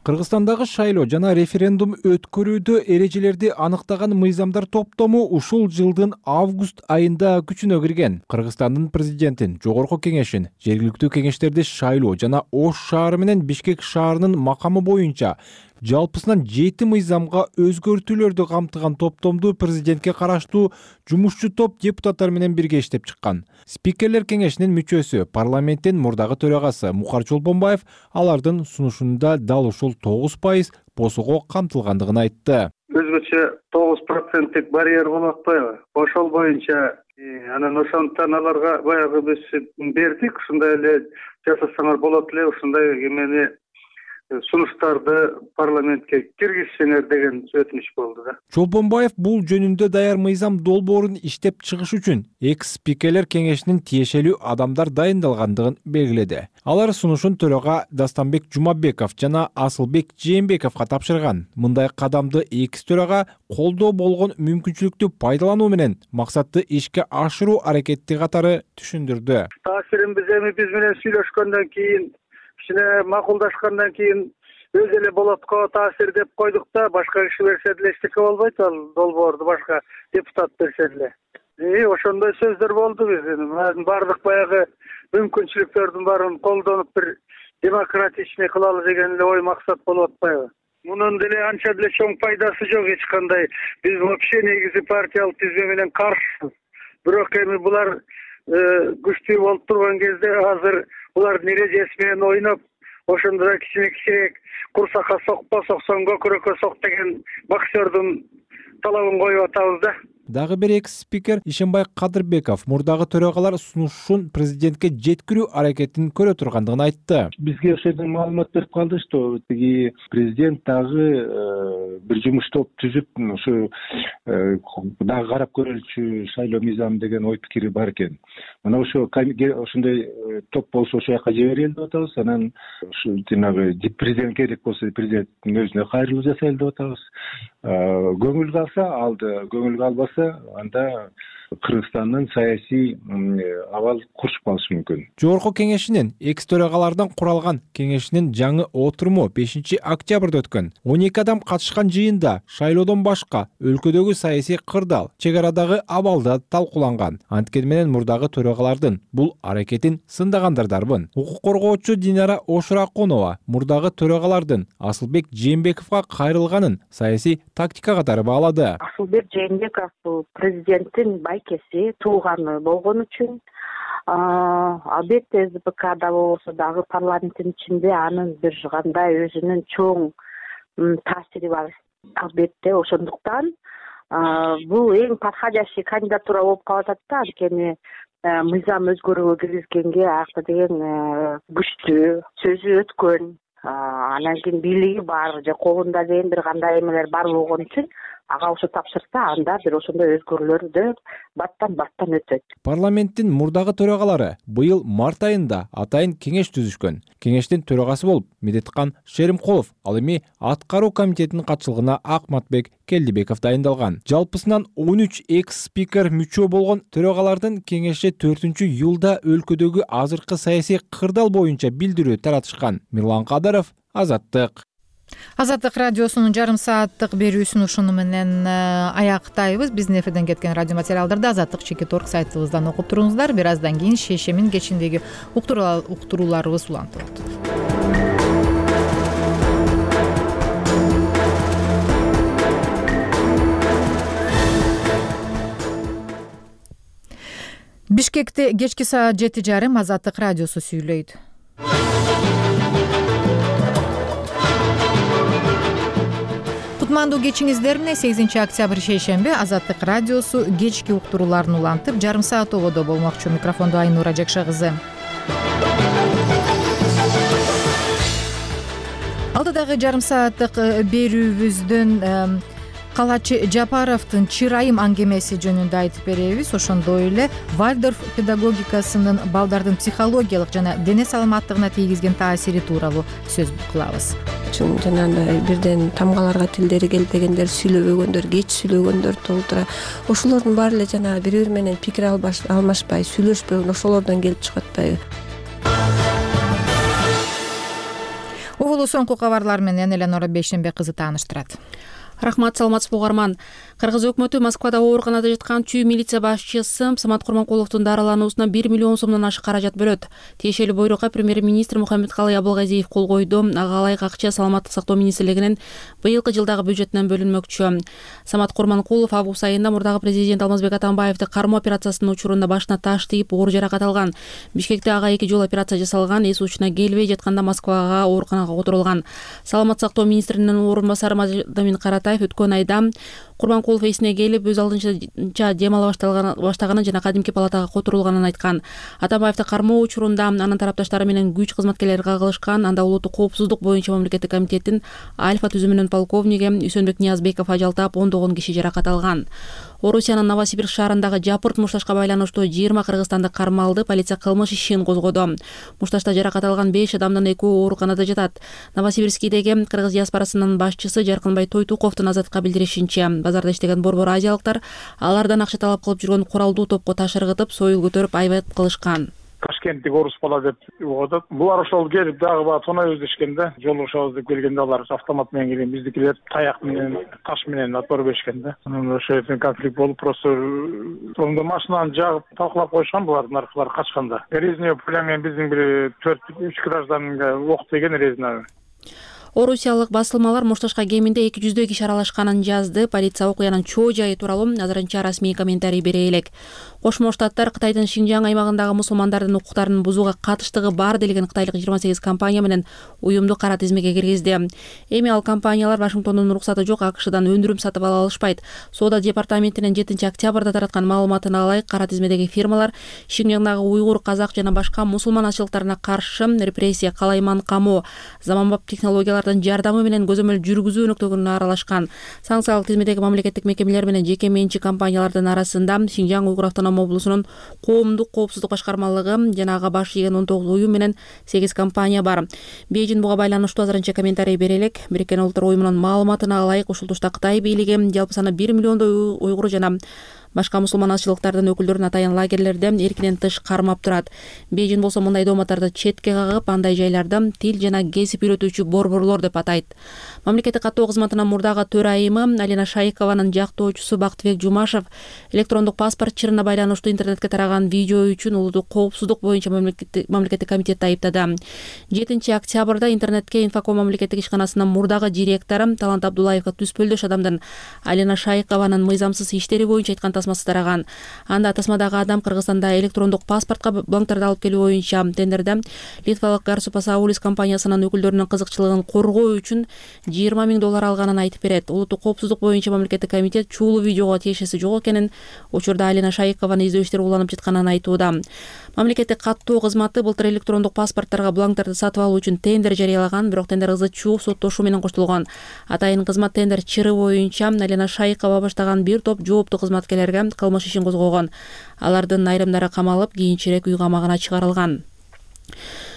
Кыргызстандагы шайлоо жана референдум өткөрүүдө эрежелерди аныктаган мыйзамдар топтому ушул жылдын август айында күчүнө кирген. Кыргызстандын президентин, жогорку кеңешин, жергиликтүү кеңештерди шайлоо жана Ош шаары менен Бишкек шаарынын макамы боюнча жалпысынан жети мыйзамга өзгөртүүлөрдү камтыган топтомду президентке караштуу жумушчу топ депутаттар менен бирге иштеп чыккан. Спикерлер кеңешинин мүчөсү, парламенттин мурдагы төрагасы Мукар Чолпонбаев алардын сунушунда дал ушул тогуз пайыз босого камтылгандыгын айтты. Өзгөчө тогуз проценттик барьер болуп атпайбы? Ошол боюнча анан ошондуктан аларга баягы биз бердик, ушундай эле жасасаңар болот эле, ушундай эмени сунуштарды парламентке киргизсеңер деген өтүнүч болду да. Чолпонбаев бул жөнүндө даяр мыйзам долбоорун иштеп чыгыш үчүн экс спикерлер кеңешинин тиешелүү адамдар дайындалгандыгын белгиледи. Алар сунушун төрага Дастанбек Жумабеков жана Асылбек Жээнбековго тапшырган. Мындай кадамды экс төрага колдоо болгон мүмкүнчүлүктү пайдалануу менен максатты ишке ашыруу аракети катары түшүндүрдү. Таасирин биз эми биз менен сүйлөшкөндөн кийин, кичине макулдашкандан кийин өз эле болотко таасир деп койдук да, башка киши берсе деле эчтеке болбойт, ал долбоорду башка депутат берсе деле. И ошондой сөздөр болду биздин. Бардык баягы мүмкүнчүлүктөрдүн баарын колдонуп бир демократичный кылалы деген эле ой максат болуп атпайбы? Мунун деле анча деле чоң пайдасы жок эч кандай. Биз вообще негизи партиялык тизме менен каршыбыз. Бирок эми булар күчтүү болуп турган кезде азыр булардын эрежеси менен ойноп, ошондо да кичине кичирээк курсакка сокпо, соксоң көкүрөккө сок деген боксердун талабын коюп атабыз да. Дагы бир экс спикер Ишенбай Кадырбеков мурдагы төрагалар сунушун президентке жеткирүү аракетин көрө тургандыгын айтты. Бизге ошол жерден маалымат берип калды, что тиги президент дагы бир жумуш топ түзүп, ушу дагы карап көрөлүчү шайлоо мыйзамы деген ой пикири бар экен. Мына ошо ошондой топ болсо ошол жака жиберели деп атабыз. Анан ушу жанагы президент керек болсо президенттин өзүнө кайрылуу жасайлы деп атабыз. Көңүл калса алды, көңүл калбаса анда Кыргызстандын саясий абал курчуп калышы мүмкүн. Жогорку кеңешинин экс төрагалардан куралган кеңешинин жаңы отуруму бешинчи октябрда өткөн. он эки адам катышкан жыйында шайлоодон башка өлкөдөгү саясий кырдаал, чек арадагы абалда талкууланган. Анткени менен мурдагы төрагалардын бул аракетин сындагандар дарбын. Укук коргоочу Динара Ошуракунова мурдагы төрагалардын Асылбек Жээнбековго кайрылганын саясий тактика катары баалады. Асылбек Жээнбеков бул президенттин байкеси, тууганы болгон үчүн албетте СДПКда болбосо дагы парламенттин ичинде анын бир кандай өзүнүн чоң таасири бар. Албетте ошондуктан бул эң подходящий кандидатура болуп калып атат да, анткени мыйзам өзгөрүүгө киргизгенге акта деген күчтүү, сөзү өткөн, анан кийин бийлиги бар же колунда деген бир кандай эмелер бар болгон үчүн ага ошо тапшырса анда бир ошондой өзгөрүүлөрдү баттан баттан өтөт. Парламенттин мурдагы төрагалары быйыл март айында атайын кеңеш түзүшкөн. Кеңештин төрагасы болуп Медеткан Шеримкулов, ал эми аткаруу комитетинин катчылыгына Акматбек Келдибеков дайындалган. Жалпысынан он үч экс спикер мүчө болгон төрагалардын кеңешче төртүнчү июлда өлкөдөгү азыркы саясий кырдаал боюнча билдирүү таратышкан. Мирлан Кадаров, Азаттык. Азаттык радиосунун жарым сааттык берүүсүн ушуну менен аяктайбыз. Биздин эфирден кеткен радио материалдарды Азаттык чекит орг сайтыбыздан окуп туруңуздар. Бир аздан кийин шешемин кечиндеги уктурууларыбыз улантылат. Бишкекте кечки саат жети жарым Азаттык радиосу сүйлөйт. Кутмандуу кечиңиздер менен сегизинчи октябрь шейшемби Азаттык радиосу кечки уктурууларын улантып, жарым саат ободо болмокчу. Микрофондо Айнура Жакша кызы. Алдыдагы жарым сааттык берүүбүздөн Калачы Жапаровдун чырайым аңгемеси жөнүндө айтып беребиз. Ошондой эле Вальдорф педагогикасынын балдардын психологиялык жана дене саламаттыгына тийгизген таасири тууралуу сөз кылабыз. Жанагындай бирден тамгаларга тилдери келбегендер, сүйлөбөгөндөр, кеч сүйлөгөндөр толтура. Ошолордун баары эле жанагы бири бири менен пикир алмашпай, сүйлөшпөй, ошолордон келип чыгып атпайбы? Угулуу соңку кабарлар менен Эленора Бейшенбек кызы тааныштырат. Рахмат, саламатсызбы угарман. Кыргыз өкмөтү Москвада ооруканада жаткан чүй милиция башчысы Самат Курманкуловдун дарылануусуна бир миллион сомдон ашык каражат бөлөт. Тиешелүү буйрукка премьер-министр Мухаммедкалый Абылгазиев кол койду. Ага ылайык акча Саламаттык сактоо министрлигинин быйылкы жылдагы бюджетинен бөлүнмөкчү. Самат Курманкулов август айында мурдагы президент Алмазбек Атамбаевди кармоо операциясынын учурунда башына таш тийип оор жаракат алган. Бишкекте ага эки жолу операция жасалган, эс учуна келбей жатканда Москвага ооруканага которулган. Саламаттык сактоо министринин орун басары Мадамин Каратаев өткөн айда Курманкулов эсине келип, өз алдынча дем ала баштаганын жана кадимки палатага которулганын айткан. Атамбаевди кармоо учурунда анын тарапташтары менен күч кызматкерлери кагылышкан. Анда улуттук коопсуздук боюнча мамлекеттик комитеттин Альфа түзүмүнүн полковниги Үсөнбек Ниязбеков ажалтап, ондогон киши жаракат алган. Орусиянын Новосибирск шаарындагы Жапырт мушташка байланыштуу жыйырма кыргызстандык кармалды. Полиция кылмыш ишин козгоду. Мушташта жаракат алган беш адамдын экөө ооруканада жатат. Новосибирскидеги кыргыз диаспорасынын башчысы Жаркынбай Тойтуковдун Азаттыкка билдиришинче, базарда иштеген борбор азиялыктар алардан акча талап кылып жүргөн куралдуу топко таш ыргытып, союл көтөрүп айбат кылышкан. Ташкенттик орус бала деп угатат. Булар ошол келип дагы баа тонойбуз дешкенде, жолугушабыз деп келгенде алар автомат менен келген, биздикилер таяк менен, таш менен отпор беришкенде. Анан ошо жерден конфликт болуп, просто сонда машинаны жагып талкалап коюшкан булардын аркылары качканда. Резиновый пуля менен биздин бир төрт үч гражданга ок деген резиновый. Орусиялык басылмалар Мушташка кеминде эки жүздөй киши аралашканын жазды. Полиция окуянын чоо жайы тууралуу азырынча расмий комментарий бере элек. Кошмо Штаттар Кытайдын Шинжаң аймагындагы мусулмандардын укуктарын бузууга катыштыгы бар делген кытайлык жыйырма сегиз компания менен уюмду кара тизмеге киргизди. Эми ал компаниялар Вашингтондун уруксаты жок АКШдан өндүрүм сатып ала алышпайт. Соода департаментинин жетинчи октябрда тараткан маалыматына ылайык, кара тизмедеги фирмалар Шинжаңдагы уйгур, казак жана башка мусулман азчылыктарына каршы репрессия, калайман камоо, заманбап технологиялардын жардамы менен көзөмөл жүргүзүү өнөктөгүнүнө аралашкан. Санкциялык тизмедеги мамлекеттик мекемелер менен жеке менчик компаниялардын арасында Шинжаң уйгур автономия облусунун коомдук коопсуздук башкармалыгы жана ага баш ийген он тогуз уюм менен сегиз компания бар. Бейжин буга байланыштуу азырынча комментарий бере элек. Бириккен Улуттар уюмунун маалыматына ылайык, ушул тушта Кытай бийлиги жалпы саны бир миллиондой уйгур жана башка мусулман азчылыктардын өкүлдөрүн атайын лагерлерде эркинен тыш кармап турат. Бейжин болсо мындай дооматтарды четке кагып, андай жайларды тил жана кесип үйрөтүүчү борборлор деп атайт. Мамлекеттик каттоо кызматынын мурдагы төрайымы Алина Шайкованын жактоочусу Бактыбек Жумашев электрондук паспорт чырына байланыштуу интернетке тараган видео үчүн улуттук коопсуздук боюнча мамлекеттик комитетти айыптады. жетинчи октябрда интернетке Инфоком мамлекеттик ишканасынын мурдагы директору Талант Абдуллаевга түспөлдөш адамдын Алина Шайкованын мыйзамсыз иштери боюнча айткан тасмасы тараган. Анда тасмадагы адам Кыргызстанда электрондук паспортко бланктарды алып келүү боюнча тендерде литвалык Гарсупасаулис компаниясынын өкүлдөрүнүн кызыкчылыгын коргоо үчүн жыйырма миң доллар алганын айтып берет. Улуттук коопсуздук боюнча мамлекеттик комитет чуулуу видеого тиешеси жок экенин, учурда Алина Шайыкованын издөө иштери уланып жатканын айтууда. Мамлекеттик каттоо кызматы былтыр электрондук паспорттарга бланктарды сатып алуу үчүн тендер жарыялаган, бирок тендер ызы чуу соттошуу менен коштолгон. Атайын кызмат тендер чыры боюнча Алина Шайыкова баштаган бир топ жооптуу кызматкерлерге кылмыш ишин козгогон. Алардын айрымдары камалып, кийинчерээк үй камагына чыгарылган.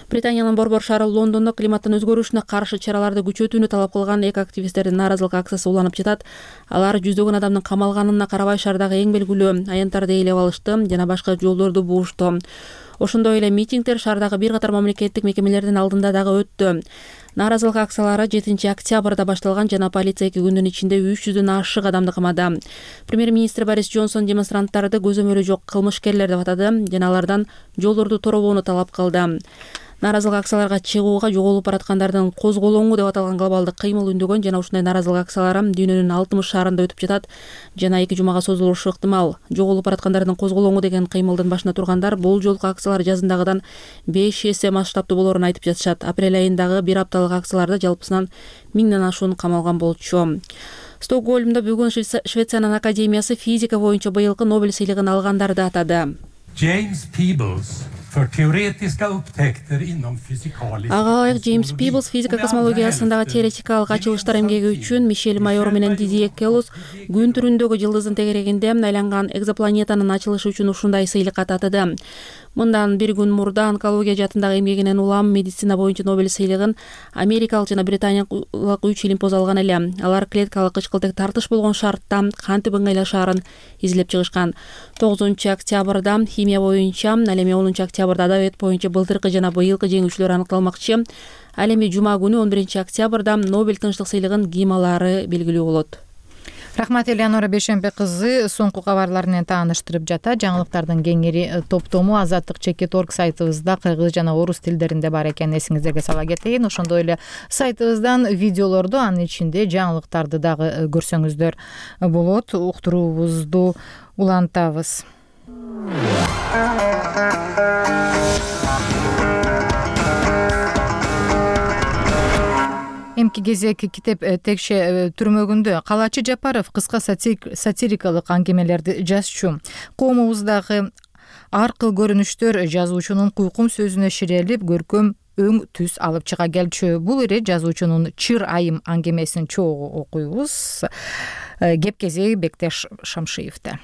Британиянын Борбор шаары Лондондо климаттын өзгөрүшүнө каршы чараларды күчөтүүнү талап кылган эки активисттердин нааразылык акциясы уланып жатат. Алар жүздөгөн адамдын камалганына карабай шаардагы эң белгилүү аянттарды ээлеп алышты жана башка жолдорду буушту. Ошондой эле митингдер шаардагы бир катар мамлекеттик мекемелердин алдында дагы өттү. Нааразылык акциялары жетинчи октябрда башталган жана полиция эки күндүн ичинде үч жүздөн ашык адамды камады. Премьер-министр Борис Джонсон демонстранттарды көзөмөлү жок кылмышкерлер деп атады жана алардан жолдорду торобоону талап кылды. Нааразылык акцияларга чыгууга жоголуп бараткандардын козголоңу деп аталган глобалдык кыймыл үндөгөн жана ушундай нааразылык акциялары дүйнөнүн алтымыш шаарында өтүп жатат жана эки жумага созулушу ыктымал. Жоголуп бараткандардын козголоңу деген кыймылдын башына тургандар бул жолку акциялар жазындагыдан беш эсе масштабтуу болоорун айтып жатышат. Апрель айындагы бир апталык акцияларда жалпысынан миңден ашуун камалган болчу. Стокгольмдо бүгүн Швециянын академиясы физика боюнча быйылкы Нобель сыйлыгын алгандарды атады. James Peebles för teoretiska upptäckter inom fysikalisk. Ага ылайык Джеймс Пиблс физика космологиясындагы теоретикалык ачылыштар эмгеги үчүн Мишель Майор менен Дидье Келус күн түрүндөгү жылдыздын тегерегинде айланган экзопланетанын ачылышы үчүн ушундай сыйлыкка татыды. Мындан бир күн мурда онкология жаатындагы эмгегинен улам медицина боюнча Нобель сыйлыгын америкалык жана британиялык үч илимпоз алган эле. Алар клеткалык кычкылтек тартыш болгон шартта кантип ыңгайлашаарын изилдеп чыгышкан. тогузунчу октябрда химия боюнча, ал эми онунчу октябрда адабият боюнча былтыркы жана быйылкы жеңүүчүлөр аныкталмакчы. Ал эми жума күнү он биринчи октябрда Нобель тынчтык сыйлыгын ким алаары белгилүү болот. Рахмат Элеонора Бешембе кызы соңку кабарлар менен тааныштырып жатат. Жаңылыктардын кеңири топтому азаттык чекит точка орг сайтыбызда кыргыз жана орус тилдеринде бар экенин эсиңиздерге сала кетейин. Ошондой эле сайтыбыздан видеолорду, анын ичинде жаңылыктарды дагы көрсөңүздөр болот. Уктуруубузду улантабыз. Эмки кезек китеп текше түрмөгүндө Калачы Жапаров кыска сатирикалык аңгемелерди жазчу. Коомубуздагы ар кыл көрүнүштөр жазуучунун куйкум сөзүнө ширелип, көркөм өң түс алып чыга келчү. Бул ире жазуучунун Чыр айым аңгемесин чогуу окуйбуз. Кеп кезеги Бектеш Шамшиевде.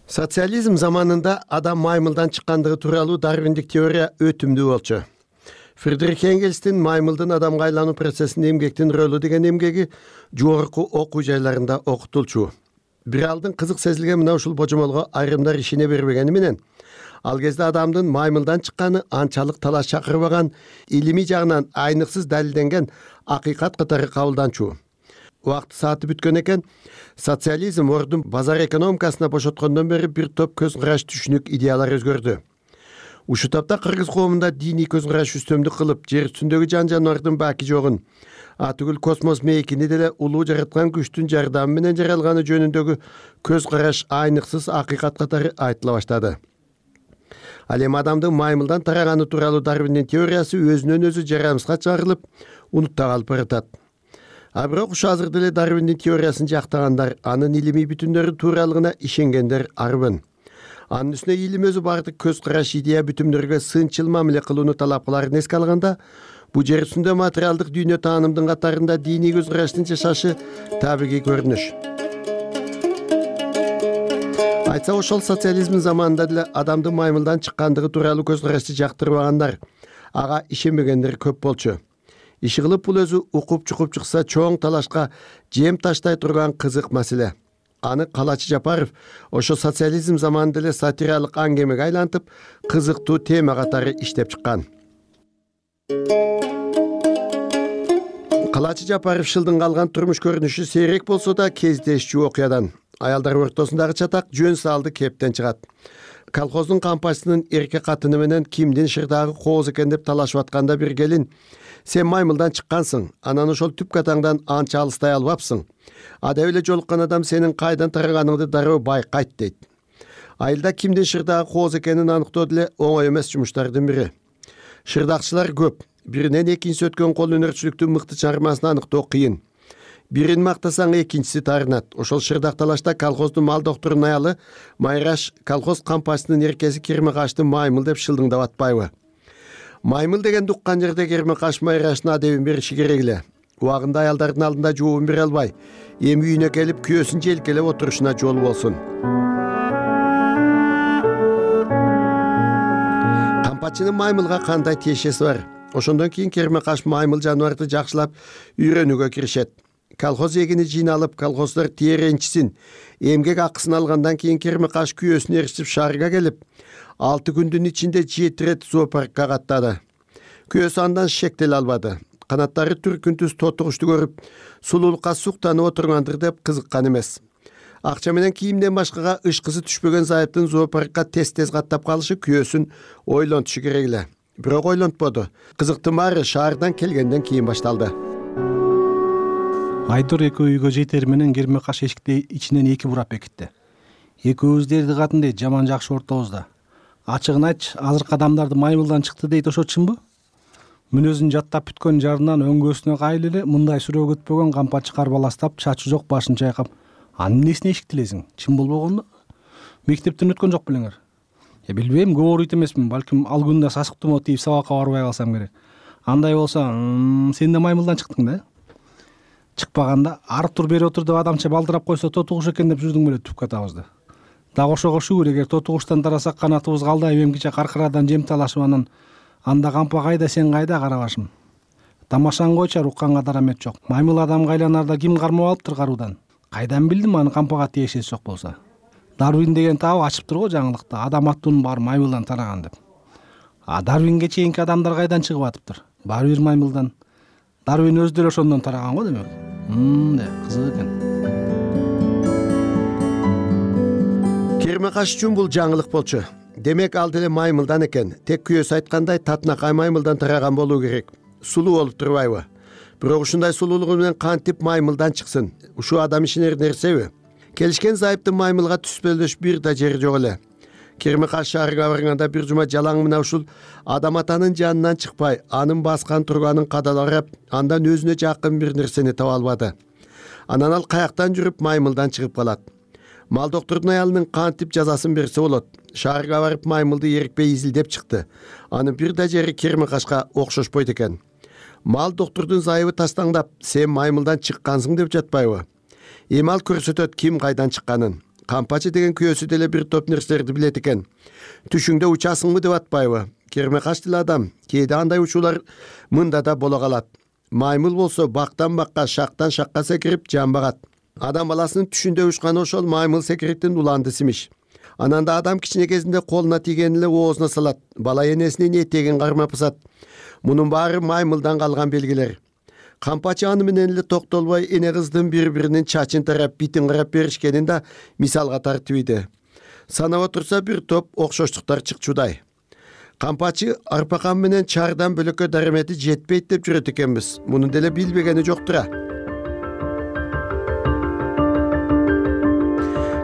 Социализм заманында адам маймылдан чыккандыгы тууралуу дарвиндик теория өтүмдүү болчу. Фридрих Энгельстин маймылдын адамга айлануу процессинде эмгектин рөлү деген эмгеги жогорку окуу жайларында окутулчу. Биралдын кызык сезилген мына ушул божомолго айрымдар ишене бербегени менен, ал кезде адамдын маймылдан чыкканы анчалык талаш чакырбаган, илимий жагынан айныксыз далилденген акыйкат катары кабылданчу. Убакыт сааты бүткөн экен, социализм ордун базар экономикасына бошоткондон бери бир топ көз караш түшүнүк идеялар өзгөрдү. Ушул тапта кыргыз коомунда диний көз караш үстөмдүк кылып, жер үстүндөгү жан жаныбардын баки жогун, атүгүл космос мейкини деле улуу жараткан күчтүн жардамы менен жаралганы жөнүндөгү көз караш айныксыз акыйкат катары айтыла баштады. Ал эми адамдын маймылдан тараганы тууралуу Дарвиндин теориясы өзүнөн өзү жарамсызга чыгарылып, унутта калып баратат. А бирок ушу азыр деле Дарвиндин теориясын жактагандар, анын илимий бүтүндөрү тууралыгына ишенгендер арбын. Анын үстүнө илим өзү бардык көз караш идея бүтүмдөргө сынчыл мамиле кылууну талап кыларын эске алганда, бу жер үстүндө материалдык дүйнө таанымдын катарында диний көз караштын жашашы табигый көрүнүш. Айтса ошол социализм заманында деле адамдын маймылдан чыккандыгы тууралуу көз карашты жактырбагандар, ага ишенбегендер көп болчу. Иши кылып бул өзү укуп чукуп чыкса чоң талашка жем таштай турган кызык маселе. Аны Калачы Жапаров ошо социализм заманында эле сатиралык аңгемеге айлантып, кызыктуу тема катары иштеп чыккан. Калачы Жапаров шылдың калган турмуш көрүнүшү сейрек болсо да кездешчү окуядан. Аялдар ортосундагы чатак жөн салды кептен чыгат. колхоздун кампачысынын эрке катыны менен кимдин шырдагы кооз экен деп талашып атканда бир келин: сен маймылдан чыккансың, анан ошол түп катаңдан анча алыстай албапсың. Ада эле жолуккан адам сенин кайдан тараганыңды дароо байкайт дейт. Айылда кимдин шырдагы кооз экенин аныктоо деле оңой эмес жумуштардын бири. Шырдакчылар көп. Биринен экинчиси өткөн кол өнөрчүлүктүн мыкты чыгармасын аныктоо кыйын. Бирин мактасаң экинчиси тарынат. Ошол шырдак талашта колхоздун мал докторунун аялы Майраш колхоз кампачысынын эркеси Кермекаштын маймыл деп шылдыңдап атпайбы? Маймыл дегенди уккан жерде Кермекаш Майраштын адебин бериши керек эле. Убагында аялдардын алдында жообун бере албай, эми үйүнө келип күйөөсүн желкелеп отурушуна жол болсун. Кампачынын маймылга кандай тиешеси бар? Ошондон кийин Кермекаш маймыл жаныбарды жакшылап үйрөнүүгө киришет. Колхоз эгини жыйналып, колхоздор тиеренчисин, эмгек акысын алгандан кийин Кермекаш күйөөсүн ээрчип шаарга келип, алты күндүн ичинде жети рет зоопаркка каттады. Күйөөсү андан шектеле албады. Канаттары түркүн түз тотугушту көрүп, сулуулукка суктанып отургандыр деп кызыккан эмес. Акча менен кийимден башкага ышкысы түшпөгөн зайыптын зоопаркка тез-тез каттап калышы күйөөсүн ойлонтушу керек эле. Бирок ойлонтподу. Кызыктын баары шаардан келгенден кийин башталды. Айдор экөө үйгө жетери менен Кермекаш эшикти ичинен эки бурап бекитти. Экөөбүз дерди катын дейт, жаман жакшы ортобузда. Ачыгын айтчы, азыркы адамдарды маймылдан чыкты дейт, ошо чынбы? Мүнөзүн жаттап бүткөн жарынан өңгөсүнө кайыл эле мындай суроо күтпөгөн кампачы карбаластап, чачы жок башын чайкап: "Анын эмнесине эшиктилесиң? Чын болбогондо мектептен өткөн жок белеңер?" Я билбейм, көбөрүйт эмесмин, балким ал күндө сасык тумоо тийип сабакка барбай калсам керек. Андай болсо, сен да маймылдан чыктың да? Чыкпаганда арып тур бери отур деп адамча балдырап койсо тотугуш экен деп жүрдүң беле түп катабызды. Дагы ошого шүгүр, эгер тотугуштан тарасак канатыбыз калдайып эмкиче каркырадан жем талашып анан анда кампа кайда, сен кайда карабашым. Тамашаны койчу, укканга дарамет жок. Маймыл адамга айланарда ким кармап алыптыр каруудан? Кайдан билдим аны кампага тиешеси жок болсо? Дарвин деген табы ачып турго жаңылыкта, адам аттуунун баары маймылдан тараган деп. А Дарвинге чейинки адамдар кайдан чыгып атыптыр? Баары бир маймылдан. Дарвин өзү деле ошондон тараган го демек. Мм, кызык экен. Кермекаш үчүн бул жаңылык болчу. Демек ал деле маймылдан экен. Тек күйөөсү айткандай татынакай маймылдан тараган болуу керек. Сулуу болуп турбайбы? Бирок ушундай сулуулугу менен кантип маймылдан чыксын? Ушул адам ишенер нерсеби? Келишкен зайыптын маймылга түспөлдөш бир да жери жок эле. Кермекаш шаарга барганда бир жума жалаң мына ушул адам атанын жанынан чыкпай, анын баскан турганын кадаларап, андан өзүнө жакын бир нерсени таба албады. Анан ал каяктан жүрүп маймылдан чыгып калат. Мал доктордун аялынын кантип жазасын берсе болот. Шаарга барып маймылды эрикпей изилдеп чыкты. Анын бир да жери Кермекашка окшошпойт экен. Мал доктордун зайыбы тастаңдап, сен маймылдан чыккансың деп жатпайбы? Эми ал көрсөтөт ким кайдан чыкканын. Кампачы деген күйөөсү деле бир топ нерселерди билет экен. Түшүңдө учасыңбы деп атпайбы? Кермекаш деле адам. Кээде андай учуулар мында да боло калат. Маймыл болсо бактан бакка, шактан шакка секирип жамбагат. Адам баласынын түшүндө учканы ошол маймыл секириктин уландысы имиш. Анан да адам кичине кезинде колуна тийгенин эле оозуна салат. Бала энесинин этегин кармап ысат. Мунун баары маймылдан калган белгилер. Кампачы аны менен эле токтолбой эне кыздын бири-биринин чачын тарап, битин карап беришкенин да мисалга тартып ийди. Санап отурса бир топ окшоштуктар чыкчудай. Кампачы арпакан менен чаардан бөлөккө дарамети жетпейт деп жүрөт экенбиз. Муну деле билбегени жоктура.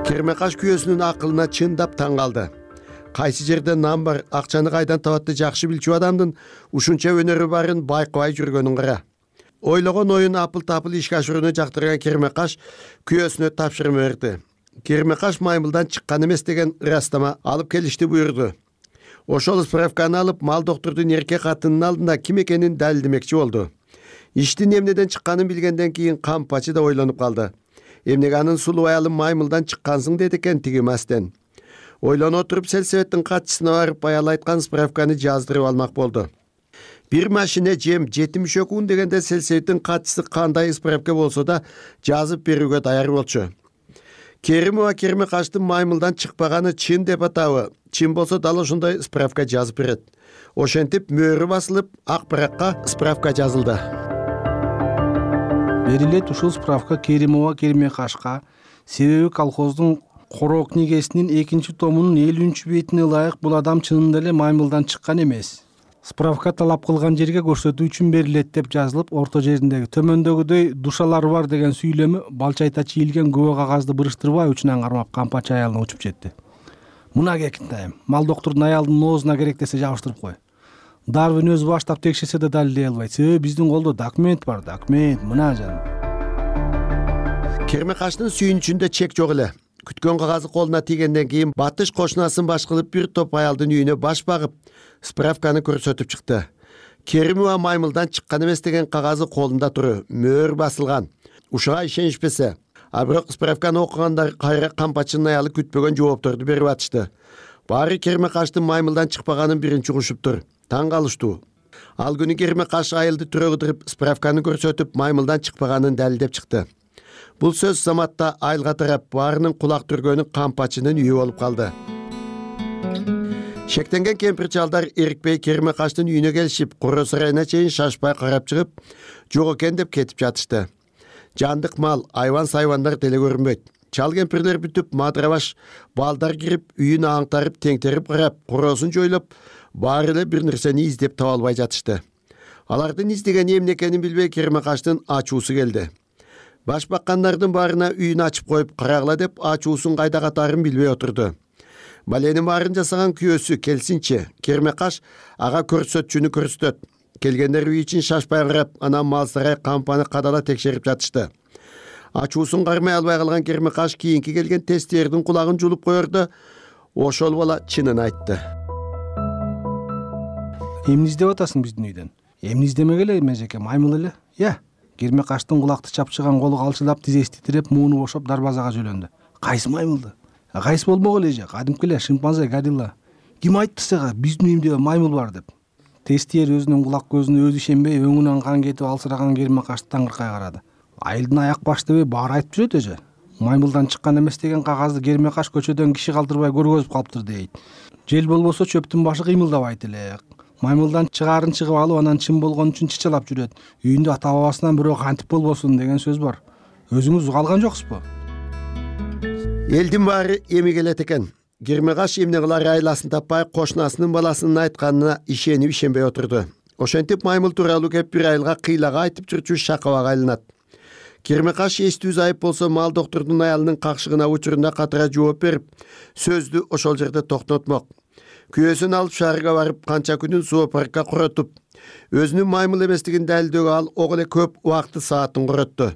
Кермекаш күйөөсүнүн акылына чындап таң калды. Кайсы жерде нан бар, акчаны кайдан табатты жакшы билчү адамдын ушунча өнөрү барын байкабай жүргөнүн кара. Ойлогон оюн апыл-тапыл ишке ашырууну жактырган Кермекаш күйөөсүнө тапшырма берди. Кермекаш маймылдан чыккан эмес деген ырастама алып келишти буйрду. Ошол справканы алып мал доктордун эрке катынын алдында ким экенин далилдемекчи болду. Иштин эмнеден чыкканын билгенден кийин Кампачы да ойлонуп калды. Эмнеге анын сулуу аялы маймылдан чыккансың деди экен тиги мастен. Ойлоно отуруп сельсоветтин катчысына барып аял айткан справканы жаздырып алмак болду. Бир машина жем жетимиш күн дегенде сельсоветтин катчысы кандай справка болсо да жазып берүүгө даяр болчу. Керимова Кермекаштын маймылдан чыкпаганы чын деп атабы? Чын болсо дал ошондой справка жазып берет. Ошентип мөөрү басылып, ак баракка справка жазылды. Берилет ушул справка Керимова Кермекашка, себеби колхоздун короо книгесинин экинчи томунун элүүнчү бетине ылайык бул адам чынында эле маймылдан чыккан эмес. Справка талап кылган жерге көрсөтүү үчүн берилет деп жазылып, орто жериндеги төмөндөгүдөй душалар бар деген сүйлөмү балчайта чийилген күбө кагазды буруштурбай учунан кармап кампачы аялына учуп жетти. Мына кекинтайым, мал доктурдун аялдын оозуна керек десе жабыштырып кой. Дарвин өзү баштап текшерсе да далилдей албайт. Себеби биздин колдо документ бар, документ, мына жаным. Кермекаштын сүйүнүчүндө чек жок эле. Күткөн кагазы колуна тийгенден кийин батыш кошунасын баш кылып бир топ аялдын үйүнө баш багып, справканы көрсөтүп чыкты. Керимова маймылдан чыккан эмес деген кагазы колунда туру, мөөр басылган. Ушуга ишенишпесе, а бирок справканы окугандар кайра кампачынын аялы күтпөгөн жоопторду берип атышты. Баары Кермекаштын маймылдан чыкпаганын биринчи угушуптур. Таң калыштуу. Ал күнү Кермекаш айылды түрөгүдүрүп, справканы көрсөтүп, маймылдан чыкпаганын далилдеп чыкты. Бул сөз заматта айылга тарап, баарынын кулак түргөнү кампачынын үйү болуп калды. Шектенген кемпир чалдар эрикпей Кермекаштын үйүнө келишип, куроо сарайына чейин шашпай карап чыгып, жок экен деп кетип жатышты. Жандык мал, айван сайвандар деле көрүнбөйт. Чал кемпирлер бүтүп, мадрабаш балдар кирип, үйүн аңтарып, теңтерип карап, куроосун жойлоп, баары эле бир нерсени издеп таба албай жатышты. Алардын издегени эмне экенин билбей Кермекаштын ачуусу келди. Баш баккандардын баарына үйүн ачып коюп карагыла деп ачуусун кайда катарын билбей отурду. Баленин баарын жасаган күйөөсү келсинчи, Кермекаш ага көрсөтчүнү көрсөтөт. Келгендер үй ичин шашпай карап, анан мал сарай кампаны кадала текшерип жатышты. Ачуусун кармай албай калган Кермекаш кийинки келген тесттердин кулагын жулуп коерду. Ошол бала чынын айтты. Эмне издеп атасың биздин үйдөн? Эмне издемек эле межеке, маймыл эле. Я, Кермекаштын кулакты чапчыган колу калчылап, тизеси титиреп, мууну бошоп дарбазага жөлөндү. Кайсы маймылды? Кайсы болмок эле же, кадимки эле шимпанзе, горилла. Ким айтты сага биздин үйүмдө маймыл бар деп? Тестиер өзүнүн кулак көзүнө өзү ишенбей, өңүнөн кан кетип алсыраган Кермекашты таңыркай карады. Айылдын аяк баш дебей баары айтып жүрөт эже. Маймылдан чыккан эмес деген кагазды Кермекаш көчөдөн киши калтырбай көргөзүп калыптыр дейт. Жел болбосо чөптүн башы кыймылдабайт эле. Маймылдан чыгаарын чыгып алып, анан чын болгон үчүн чычалап жүрөт. Үйүндө ата бабасынан бирөө кантип болбосун деген сөз бар. Өзүңүз уга алган жоксузбу? Элдин баары эми келет экен. Кермекаш эмне кылар айласын таппай, кошунасынын баласынын айтканына ишенип ишенбей отурду. Ошентип маймыл тууралуу кеп бир айылга кыйлага айтып жүрчү шакабага айланат. Кермекаш эстүү зайып болсо, мал доктурдун аялынын какшыгына учурунда катыра жооп берип, сөздү ошол жерде токтотмок. Күйөөсүн алып шаарга барып, канча күнүн зоопаркка куротуп, өзүнүн маймыл эместигин далилдөөгө ал ого эле көп убакты саатын куротту.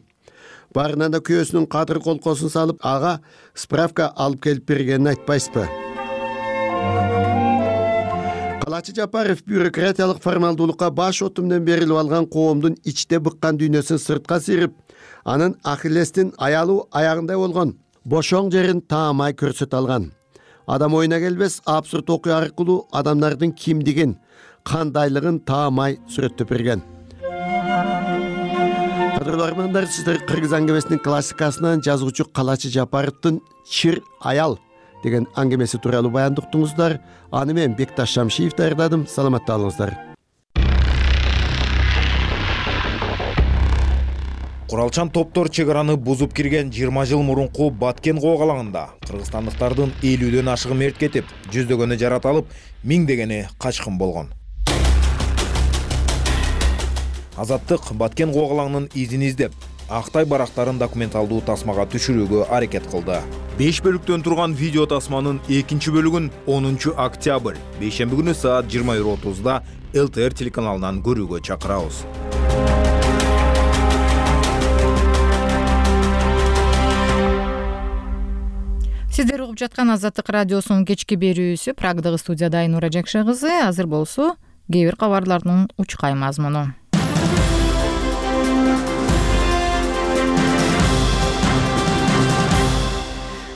Барынан да күйөөсүнүн кадыр колкосун салып, ага справка алып келип бергенин айтпайсызбы? Калачы Жапаров бюрократиялык формалдуулукка баш отумден берилип алган коомдун ичте быккан дүйнөсүн сыртка сыйрып, анын Ахиллестин аялуу аягындай болгон бошоң жерин таамай көрсөтө алган. Адам оюна келбес абсурд окуя аркылуу адамдардын кимдигин, кандайлыгын таамай сүрөттөп берген. Кадырлуу армандар, сиздер Кыргыз аңгемесинин классикасынан жазуучу Калачы Жапаровдун «Чыр аял» деген аңгемеси тууралуу баянды уктуңуздар. Аны мен Бекташ Шамшиев даярдадым. Саламатта болуңуздар. Куралчан топтор чек араны бузуп кирген жыйырма жыл мурунку Баткен коогалаңында кыргызстандыктардын элүүдөн ашыгы мерт кетип, жүздөгөнү жараталып, миңдегени качкын болгон. Азаттык Баткен коогалаңынын изин издеп, Актай барактарын документалдуу тасмага түшүрүүгө аракет кылды. беш бөлүктөн турган видео тасманын экинчи бөлүгүн онунчу октябрь бейшемби күнү саат жыйырма бир отузда эл тэ эр телеканалынан көрүүгө чакырабыз. Сиздер угуп жаткан Азаттык радиосунун кечки берүүсү. Прагдагы студияда Айнура Жакшы кызы. Азыр болсо кээ бир кабарлардын учкай мазмуну.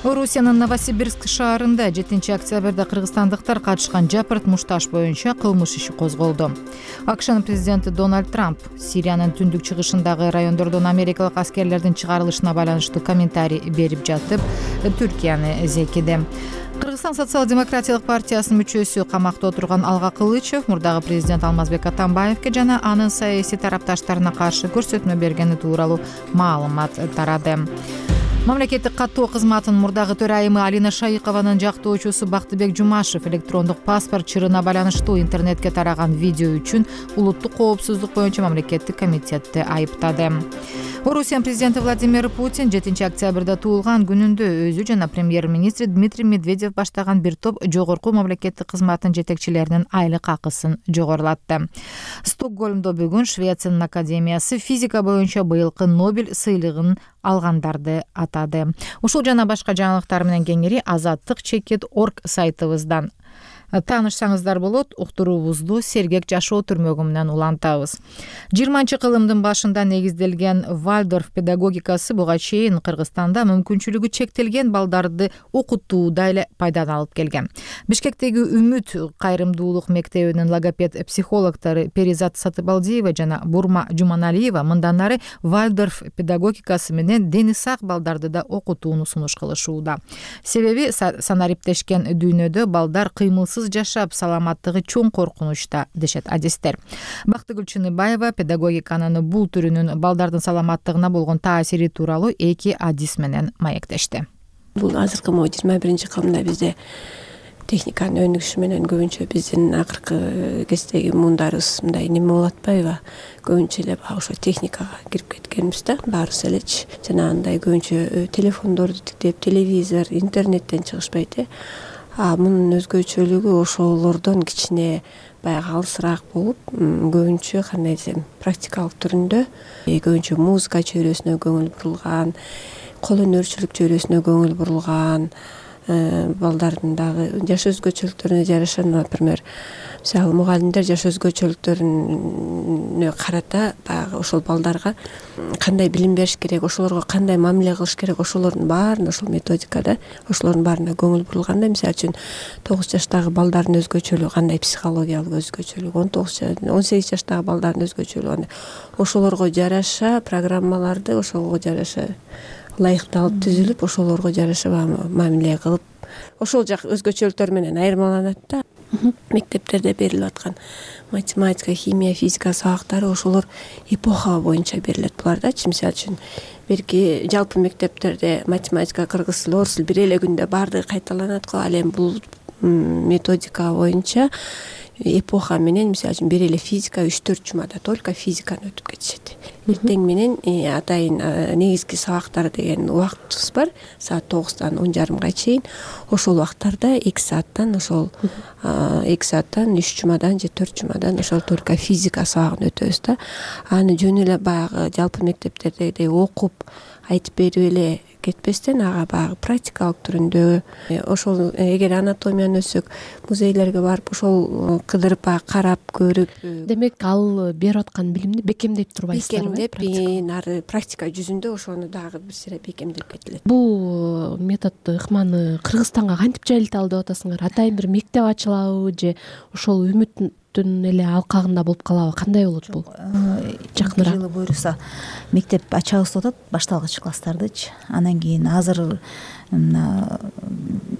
Орусиянын Новосибирск шаарында жетинчи октябрда кыргызстандыктар катышкан жапырт мушташ боюнча кылмыш иши козголду. АКШнын президенти Дональд Трамп Сириянын түндүк чыгышындагы райондордон америкалык аскерлердин чыгарылышына байланыштуу комментарий берип жатып, Түркияны зекиди. Кыргызстан социал-демократиялык партиясынын мүчөсү камакта отурган Алга Кылычев мурдагы президент Алмазбек Атамбаевге жана анын саясий тарапташтарына каршы көрсөтмө бергени тууралуу маалымат тарады. Мамлекеттик каттоо кызматынын мурдагы төрайымы Алина Шайыкованын жактоочусу Бактыбек Жумашев электрондук паспорт чырына байланыштуу интернетке тараган видео үчүн улуттук коопсуздук боюнча мамлекеттик комитетти айыптады. Орусия президенти Владимир Путин жетинчи октябрда туулган күнүндө өзү жана премьер-министр Дмитрий Медведев баштаган бир топ жогорку мамлекеттик кызматтын жетекчилеринин айлык акысын жогорулатты. Стокгольмдо бүгүн Швециянын академиясы физика боюнча быйылкы Нобель сыйлыгын алгандарды атады. Ушул жана башка жаңылыктар менен кеңири азаттык чекит точка орг сайтыбыздан таанышсаңыздар болот. Уктуруубузду сергек жашоо түрмөгү менен улантабыз. жыйырманчы кылымдын башында негизделген Вальдорф педагогикасы буга чейин Кыргызстанда мүмкүнчүлүгү чектелген балдарды окутууда эле пайданы алып келген. Бишкектеги Үмүт кайрымдуулук мектебинин логопед психологтору Перизат Сатыбалдиева жана Бурма Жуманалиева мындан ары Вальдорф педагогикасы менен дени сак балдарды да окутууну сунуш кылышууда. Себеби санариптешкен дүйнөдө балдар кыймылсыз жашап, саламаттыгы чоң коркунучта дешет адистер. Бактыгүл Чыныбаева педагогиканын бул түрүнүн балдардын саламаттыгына болгон таасири тууралуу эки адис менен маектешти. Бул азыркы могу жыйырма биринчи кылымда бизде техниканын өнүгүшү менен көбүнчө биздин акыркы кездеги муундарыбыз мындай неме болуп атпайбы? Көбүнчө эле баягы ошо техникага кирип кеткенбиз да, баарыбыз элечи. Жанагындай көбүнчө телефондорду тиктеп, телевизор, интернеттен чыгышпайт э. А мунун өзгөчөлүгү ошолордон кичине баягы алысыраак болуп, көбүнчө кандай десем, практикалык түрүндө, көбүнчө музыка чөйрөсүнө көңүл бурулган, кол өнөрчүлүк чөйрөсүнө көңүл бурулган, балдардын дагы жаш өзгөчөлүктөрүнө жараша, например, мисалы мугалимдер жаш өзгөчөлүктөрүнө карата баягы ошол балдарга кандай билим бериш керек, ошолорго кандай мамиле кылыш керек, ошолордун баарына ошол методикада, ошолордун баарына көңүл бурулганда, мисалы үчүн тогуз жаштагы балдардын өзгөчөлүгү кандай, психологиялык өзгөчөлүгү, он тогуз он сегиз жаштагы балдардын өзгөчөлүгү кандай, ошолорго жараша программаларды ошого жараша ылайыкталып түзүлүп, ошолорго жараша мамиле кылып, ошол жак өзгөчөлүктөр менен айырмаланат да. Мектептерде берилип аткан математика, химия, физика сабактары ошолор эпоха боюнча берилет булардачы. Мисалы үчүн берки жалпы мектептерде математика, кыргыз тили, орус тили бир эле күндө баардыгы кайталанат го. Ал эми бул методика боюнча эпоха менен, мисалы үчүн бир эле физика үч төрт жумада только физиканы өтүп кетишет. Эртең менен атайын негизги сабактар деген убактыбыз бар, саат тогуздан он жарымга чейин. Ошол убактарда эки сааттан ошол эки сааттан үч жумадан же төрт жумадан ошол только физика сабагын өтөбүз да. Аны жөн эле баягы жалпы мектептердегидей окуп айтып берип эле кетпестен, ага баягы практикалык түрүндө, ошол эгер анатомияны өтсөк, музейлерге барып, ошол кыдырып баягы карап көрүп. Демек, ал берип аткан билимди бекемдеп турбайсыздарбы? Бекемдеп, нары практика жүзүндө ошону дагы бир сыйра бекемдеп кетилет. Бул методду ыкманы Кыргызстанга кантип жайылталы деп атасыңар? Атайын бир мектеп ачылабы же ошол Үмүттүн эле алкагында болуп калабы? Кандай болот бул? Жакыныраак жылы буюрса мектеп ачабыз деп атат, башталгыч класстардычы. Анан кийин азыр мына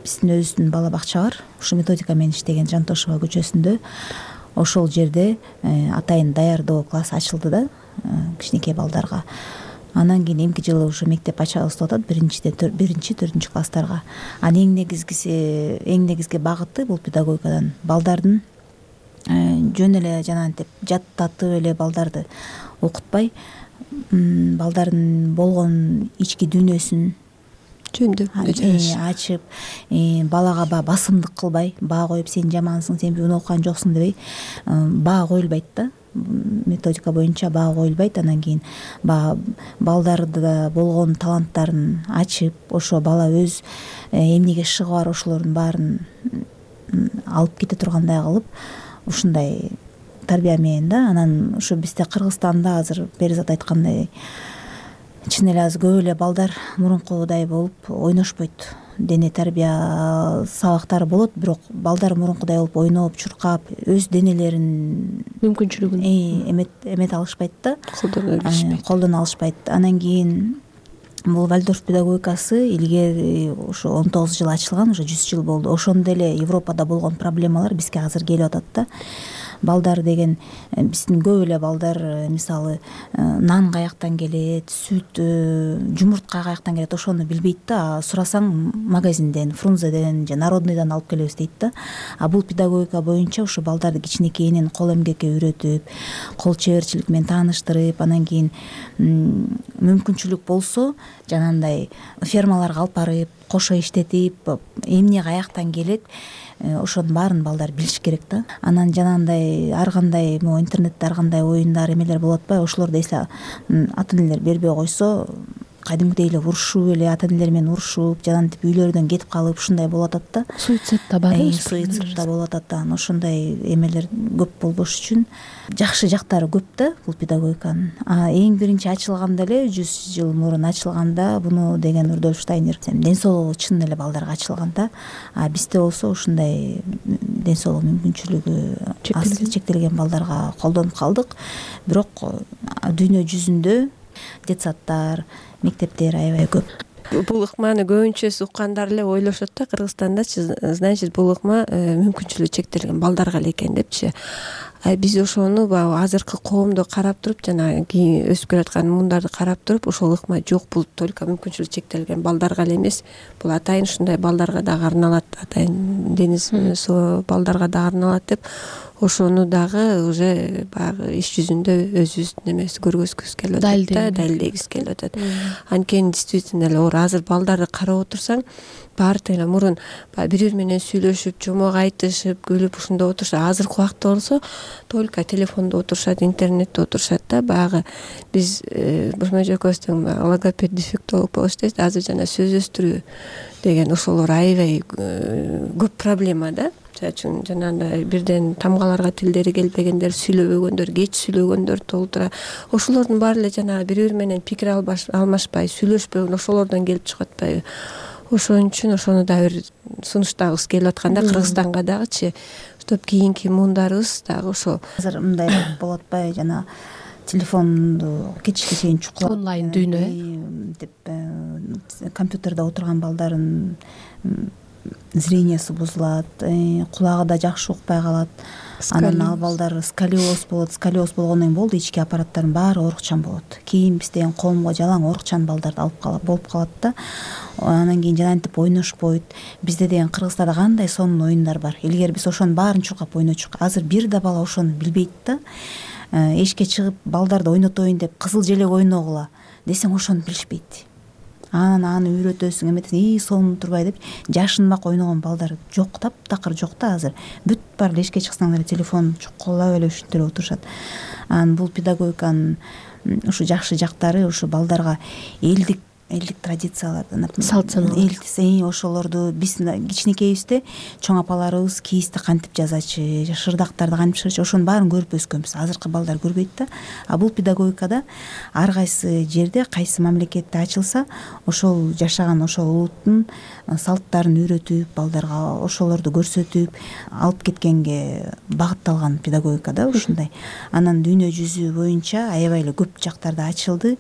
биздин өзүбүздүн бала бакча бар. Ушу методика менен иштеген Жантошева көчөсүндө. Ошол жерде атайын даярдоо класс ачылды да, кичинекей балдарга. Анан кийин эмки жылы ушу мектеп ачабыз деп атат, биринчи биринчи төртүнчү класстарга. Анын эң негизгиси, эң негизги багыты бул педагогикадан балдардын жөн эле жанагынтип жаттатып эле балдарды окутпай, балдардын болгон ички дүйнөсүн жөндөп ачып, балага баа басымдык кылбай, баа коюп сен жамансың, сен бүгүн окуган жоксуң дебей, баа коюлбайт да. Методика боюнча баа коюлбайт. Анан кийин баа балдарда болгон таланттарын ачып, ошо бала өз эмнеге шыгы бар ошолордун баарын алып кете тургандай кылып, ушундай тарбия менен да. Анан ушу бизде Кыргызстанда азыр Перизат айткандай чын эле азыр көп эле балдар мурункудай болуп ойношпойт. Дене тарбия сабактары болот, бирок балдар мурункудай болуп ойноп, чуркап, өз денелерин мүмкүнчүлүгүн эмет эмет алышпайт да, колдоно билишпейт. Колдоно алышпайт. Анан кийин бул Вальдорф педагогикасы илгери ошо он тогуз жыл ачылган, уже жүз жыл болду. Ошондо эле Европада болгон проблемалар бизге азыр келип атат да. балдар деген биздин көп эле балдар мисалы нан каяктан келет, сүт, жумуртка каяктан келет ошону билбейт да. Сурасаң магазинден, Фрунзеден же Народныйдан алып келебиз дейт да. А бул педагогика боюнча ушу балдарды кичинекейинен кол эмгекке үйрөтүп, кол чеберчилик менен тааныштырып, анан кийин мүмкүнчүлүк болсо жанагындай фермаларга алып барып, кошо иштетип, эмне каяктан келет, ошонун баарын балдар билиш керек да. Анан жанагындай ар кандай могу интернетте ар кандай оюндар эмелер болуп атпайбы, ошолорду эсле ата энелер бербей койсо кадимкидей эле урушуп эле ата энелер менен урушуп, жанагынтип үйлөрүнөн кетип калып ушундай болуп атат да. Суицид да бар э, суицид да болуп атат да. Анан ошондой эмелер көп болбош үчүн жакшы жактары көп да бул педагогиканын. А эң биринчи ачылганда эле жүз жыл мурун ачылганда буну деген Рудольф Штайнер ден соолугу чын эле балдарга ачылган да. А бизде болсо ушундай ден соолук мүмкүнчүлүгү аз чектелген балдарга колдонуп калдык. Бирок дүйнө жүзүндө детсадтар, мектептер аябай көп. Бул ыкманы көбүнчө уккандар эле ойлошот да, Кыргызстандачы, значит бул ыкма мүмкүнчүлүгү чектелген балдарга эле экен депчи. Биз ошону баягы азыркы коомду карап туруп, жана кийин өсүп келаткан мундарды карап туруп, ошол ыкма жок, бул только мүмкүнчүлүгү чектелген балдарга эле эмес, бул атайын ушундай балдарга дагы арналат, атайын дениз суу балдарга дагы арналат деп ошону дагы уже баягы иш жүзүндө өзүбүздүн эмеси көргөзгүбүз келип атат да, далилдегибиз келип атат. Анткени действительно эле оор азыр балдарды карап отурсаң, баары эле мурун бири бири менен сүйлөшүп, жомок айтышып, күлүп ушундай отурушат. Азыркы убакта болсо только телефондо отурушат, интернетте отурушат да. Баягы биз Бушмажы экөөбүздүн логопед дефектолог болуш дейбиз, азыр жана сөз өстүрүү деген ошолор аябай көп проблема да. Чачын жанагындай бирден тамгаларга тилдери келбегендер, сүйлөбөгөндөр, кеч сүйлөгөндөр толтура. Ошолордун баары эле жанагы бири бири менен пикир алмашпай, сүйлөшпөгөн ошолордон келип чыгып атпайбы. Ошон үчүн ошону да бир сунуштагыбыз келип атканда Кыргызстанга дагычы, чтоб кийинки муундарыбыз дагы ошо азыр мындай болуп атпайбы, жана телефонду кечке чейин чукулап онлайн дүйнө деп компьютерде отурган балдардын зрениясы бузулат, кулагы да жакшы укпай калат. Анан ал балдар сколиоз болот, сколиоз болгондон кийин болду, ички аппараттардын баары оорукчан болот. Кийин биз деген коомго жалаң оорукчан балдарды алып калып болуп калат да. Анан кийин жанагынтип ойношпойт. Бизде деген Кыргызстанда кандай сонун оюндар бар. Илгери биз ошонун баарын чуркап ойночук. Азыр бир да бала ошону билбейт да. Эшикке чыгып балдарды ойнотоюн деп кызыл желек ойногула десең ошону билишпейт. Анан аны үйрөтөсүң, эметесиң, и сонун турбай деп жашынмак ойногон балдар жок, таптакыр жок да азыр. Бүт бар эле эшикке чыксаң эле телефон чукулап эле ушинтип эле отурушат. Анан бул педагогиканын ушу жакшы жактары ушу балдарга элдик элдик традицияларды, салт санаа, ошолорду биз кичинекейибизде чоң апаларыбыз кийизди кантип жазачы, шырдактарды кантип бышырчы, ошонун баарын көрүп өскөнбүз. Азыркы балдар көрбөйт да. А бул педагогикада ар кайсы жерде, кайсы мамлекетте ачылса, ошол жашаган ошол улуттун салттарын үйрөтүп, балдарга ошолорду көрсөтүп алып кеткенге багытталган педагогика да ушундай. Анан дүйнө жүзү боюнча аябай эле көп жактарда ачылды.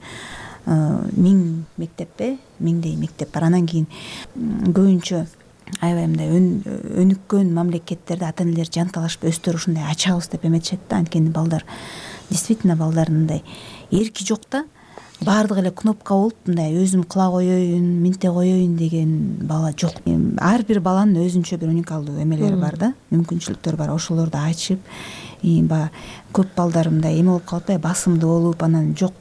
Миң мектеппе, миңдей мектеп бар. Анан кийин көбүнчө аябай мындай өнүккөн мамлекеттерде ата энелер жанталашып өздөрү ушундай ачабыз деп эметишет да. Анткени балдар действительно балдардын мындай эрки жок да. Баардыгы эле кнопка болуп, мындай өзүм кыла коеюн, минте коеюн деген бала жок. Ар бир баланын өзүнчө бир уникалдуу эмелери бар да, мүмкүнчүлүктөр бар. Ошолорду ачып, баягы көп балдар мындай эме болуп калат да, басымдуу болуп, анан жок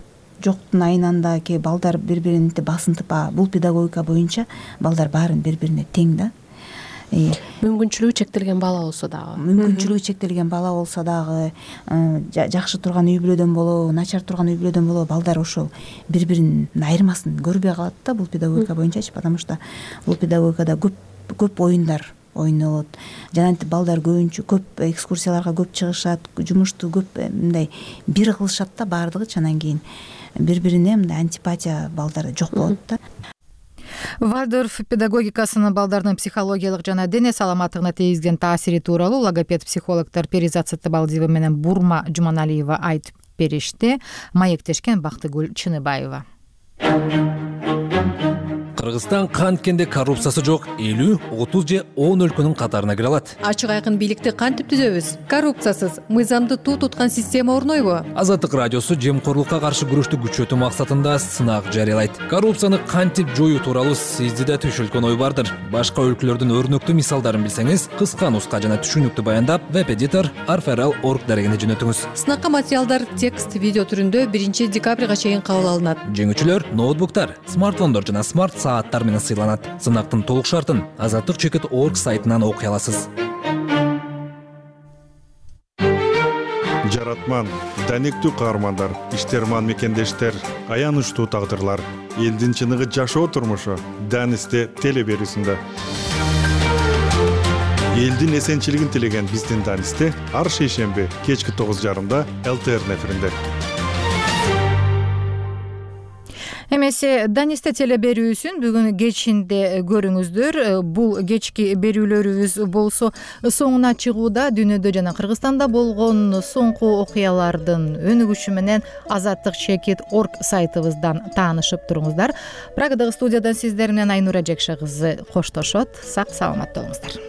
жоктун айынан ки балдар бири-бирин басынтып, бул педагогика боюнча балдар баарын бири-бирине тең да. Мүмкүнчүлүгү чектелген бала болсо дагы. Мүмкүнчүлүгү чектелген бала болсо дагы, жакшы турган үй бүлөдөн болобу, начар турган үй бүлөдөн болобу, балдар ошол бири-биринин айырмасын көрбөй калат да бул педагогика боюнчачы, потому что бул педагогикада көп көп оюндар ойнолот. Жанагынтип балдар көбүнчө көп экскурсияларга көп чыгышат, жумушту көп мындай бир кылышат да баардыгычы. Анан кийин бири-бирине мындай антипатия балдарда жок болот да. Вальдорф педагогикасынын балдардын психологиялык жана дене саламаттыгына тийгизген таасири тууралуу логопед психологдор Перизат Саттыбалдиева менен Бурма Жуманалиева айтып беришти. Маектешкен Бактыгүл Чыныбаева. Кыргызстан канткенде коррупциясы жок элүү, отуз же он өлкөнүн катарына кире алат. Ачык айкын бийликти кантип түзөбүз? Коррупциясыз, мыйзамды туу туткан система орнойбу? Азаттык радиосу жемкорлукка каршы күрөштү күчөтүү максатында сынак жарыялайт. Коррупцияны кантип жоюу тууралуу сизде да түшүлгөн ой бардыр. Башка өлкөлөрдүн өрнөктүү мисалдарын билсеңиз, кыска нуска жана түшүнүктүү баяндап веб-эдитор арферал точка орг дарегине жөнөтүңүз. Сынакка материалдар текст, видео түрүндө биринчи декабрга чейин кабыл алынат. Жеңүүчүлөр ноутбуктар, смартфондор жана смарт сааттар менен сыйланат. Сынактын толук шартын азаттык чекит точка орг сайтынан окуй аласыз. Жаратман, данектүү каармандар, иштерман мекендештер, аянычтуу тагдырлар, элдин чыныгы жашоо турмушу Данисте теле берүүсүндө. Элдин эсенчилигин тилеген биздин Данисте ар шейшемби кечки тогуз жарымда эл тэ эр эфиринде. Эмесе Данисте теле берүүсүн бүгүн кечинде көрүңүздөр. Бул кечки берүүлөрүбүз болсо соңуна чыгууда дүйнөдө жана Кыргызстанда болгон соңку окуялардын өнүгүшү менен азаттык чекит точка орг сайтыбыздан таанышып туруңуздар. Прагадагы студиядан сиздер менен Айнура Жекше кызы коштошот. Сак саламат болуңуздар.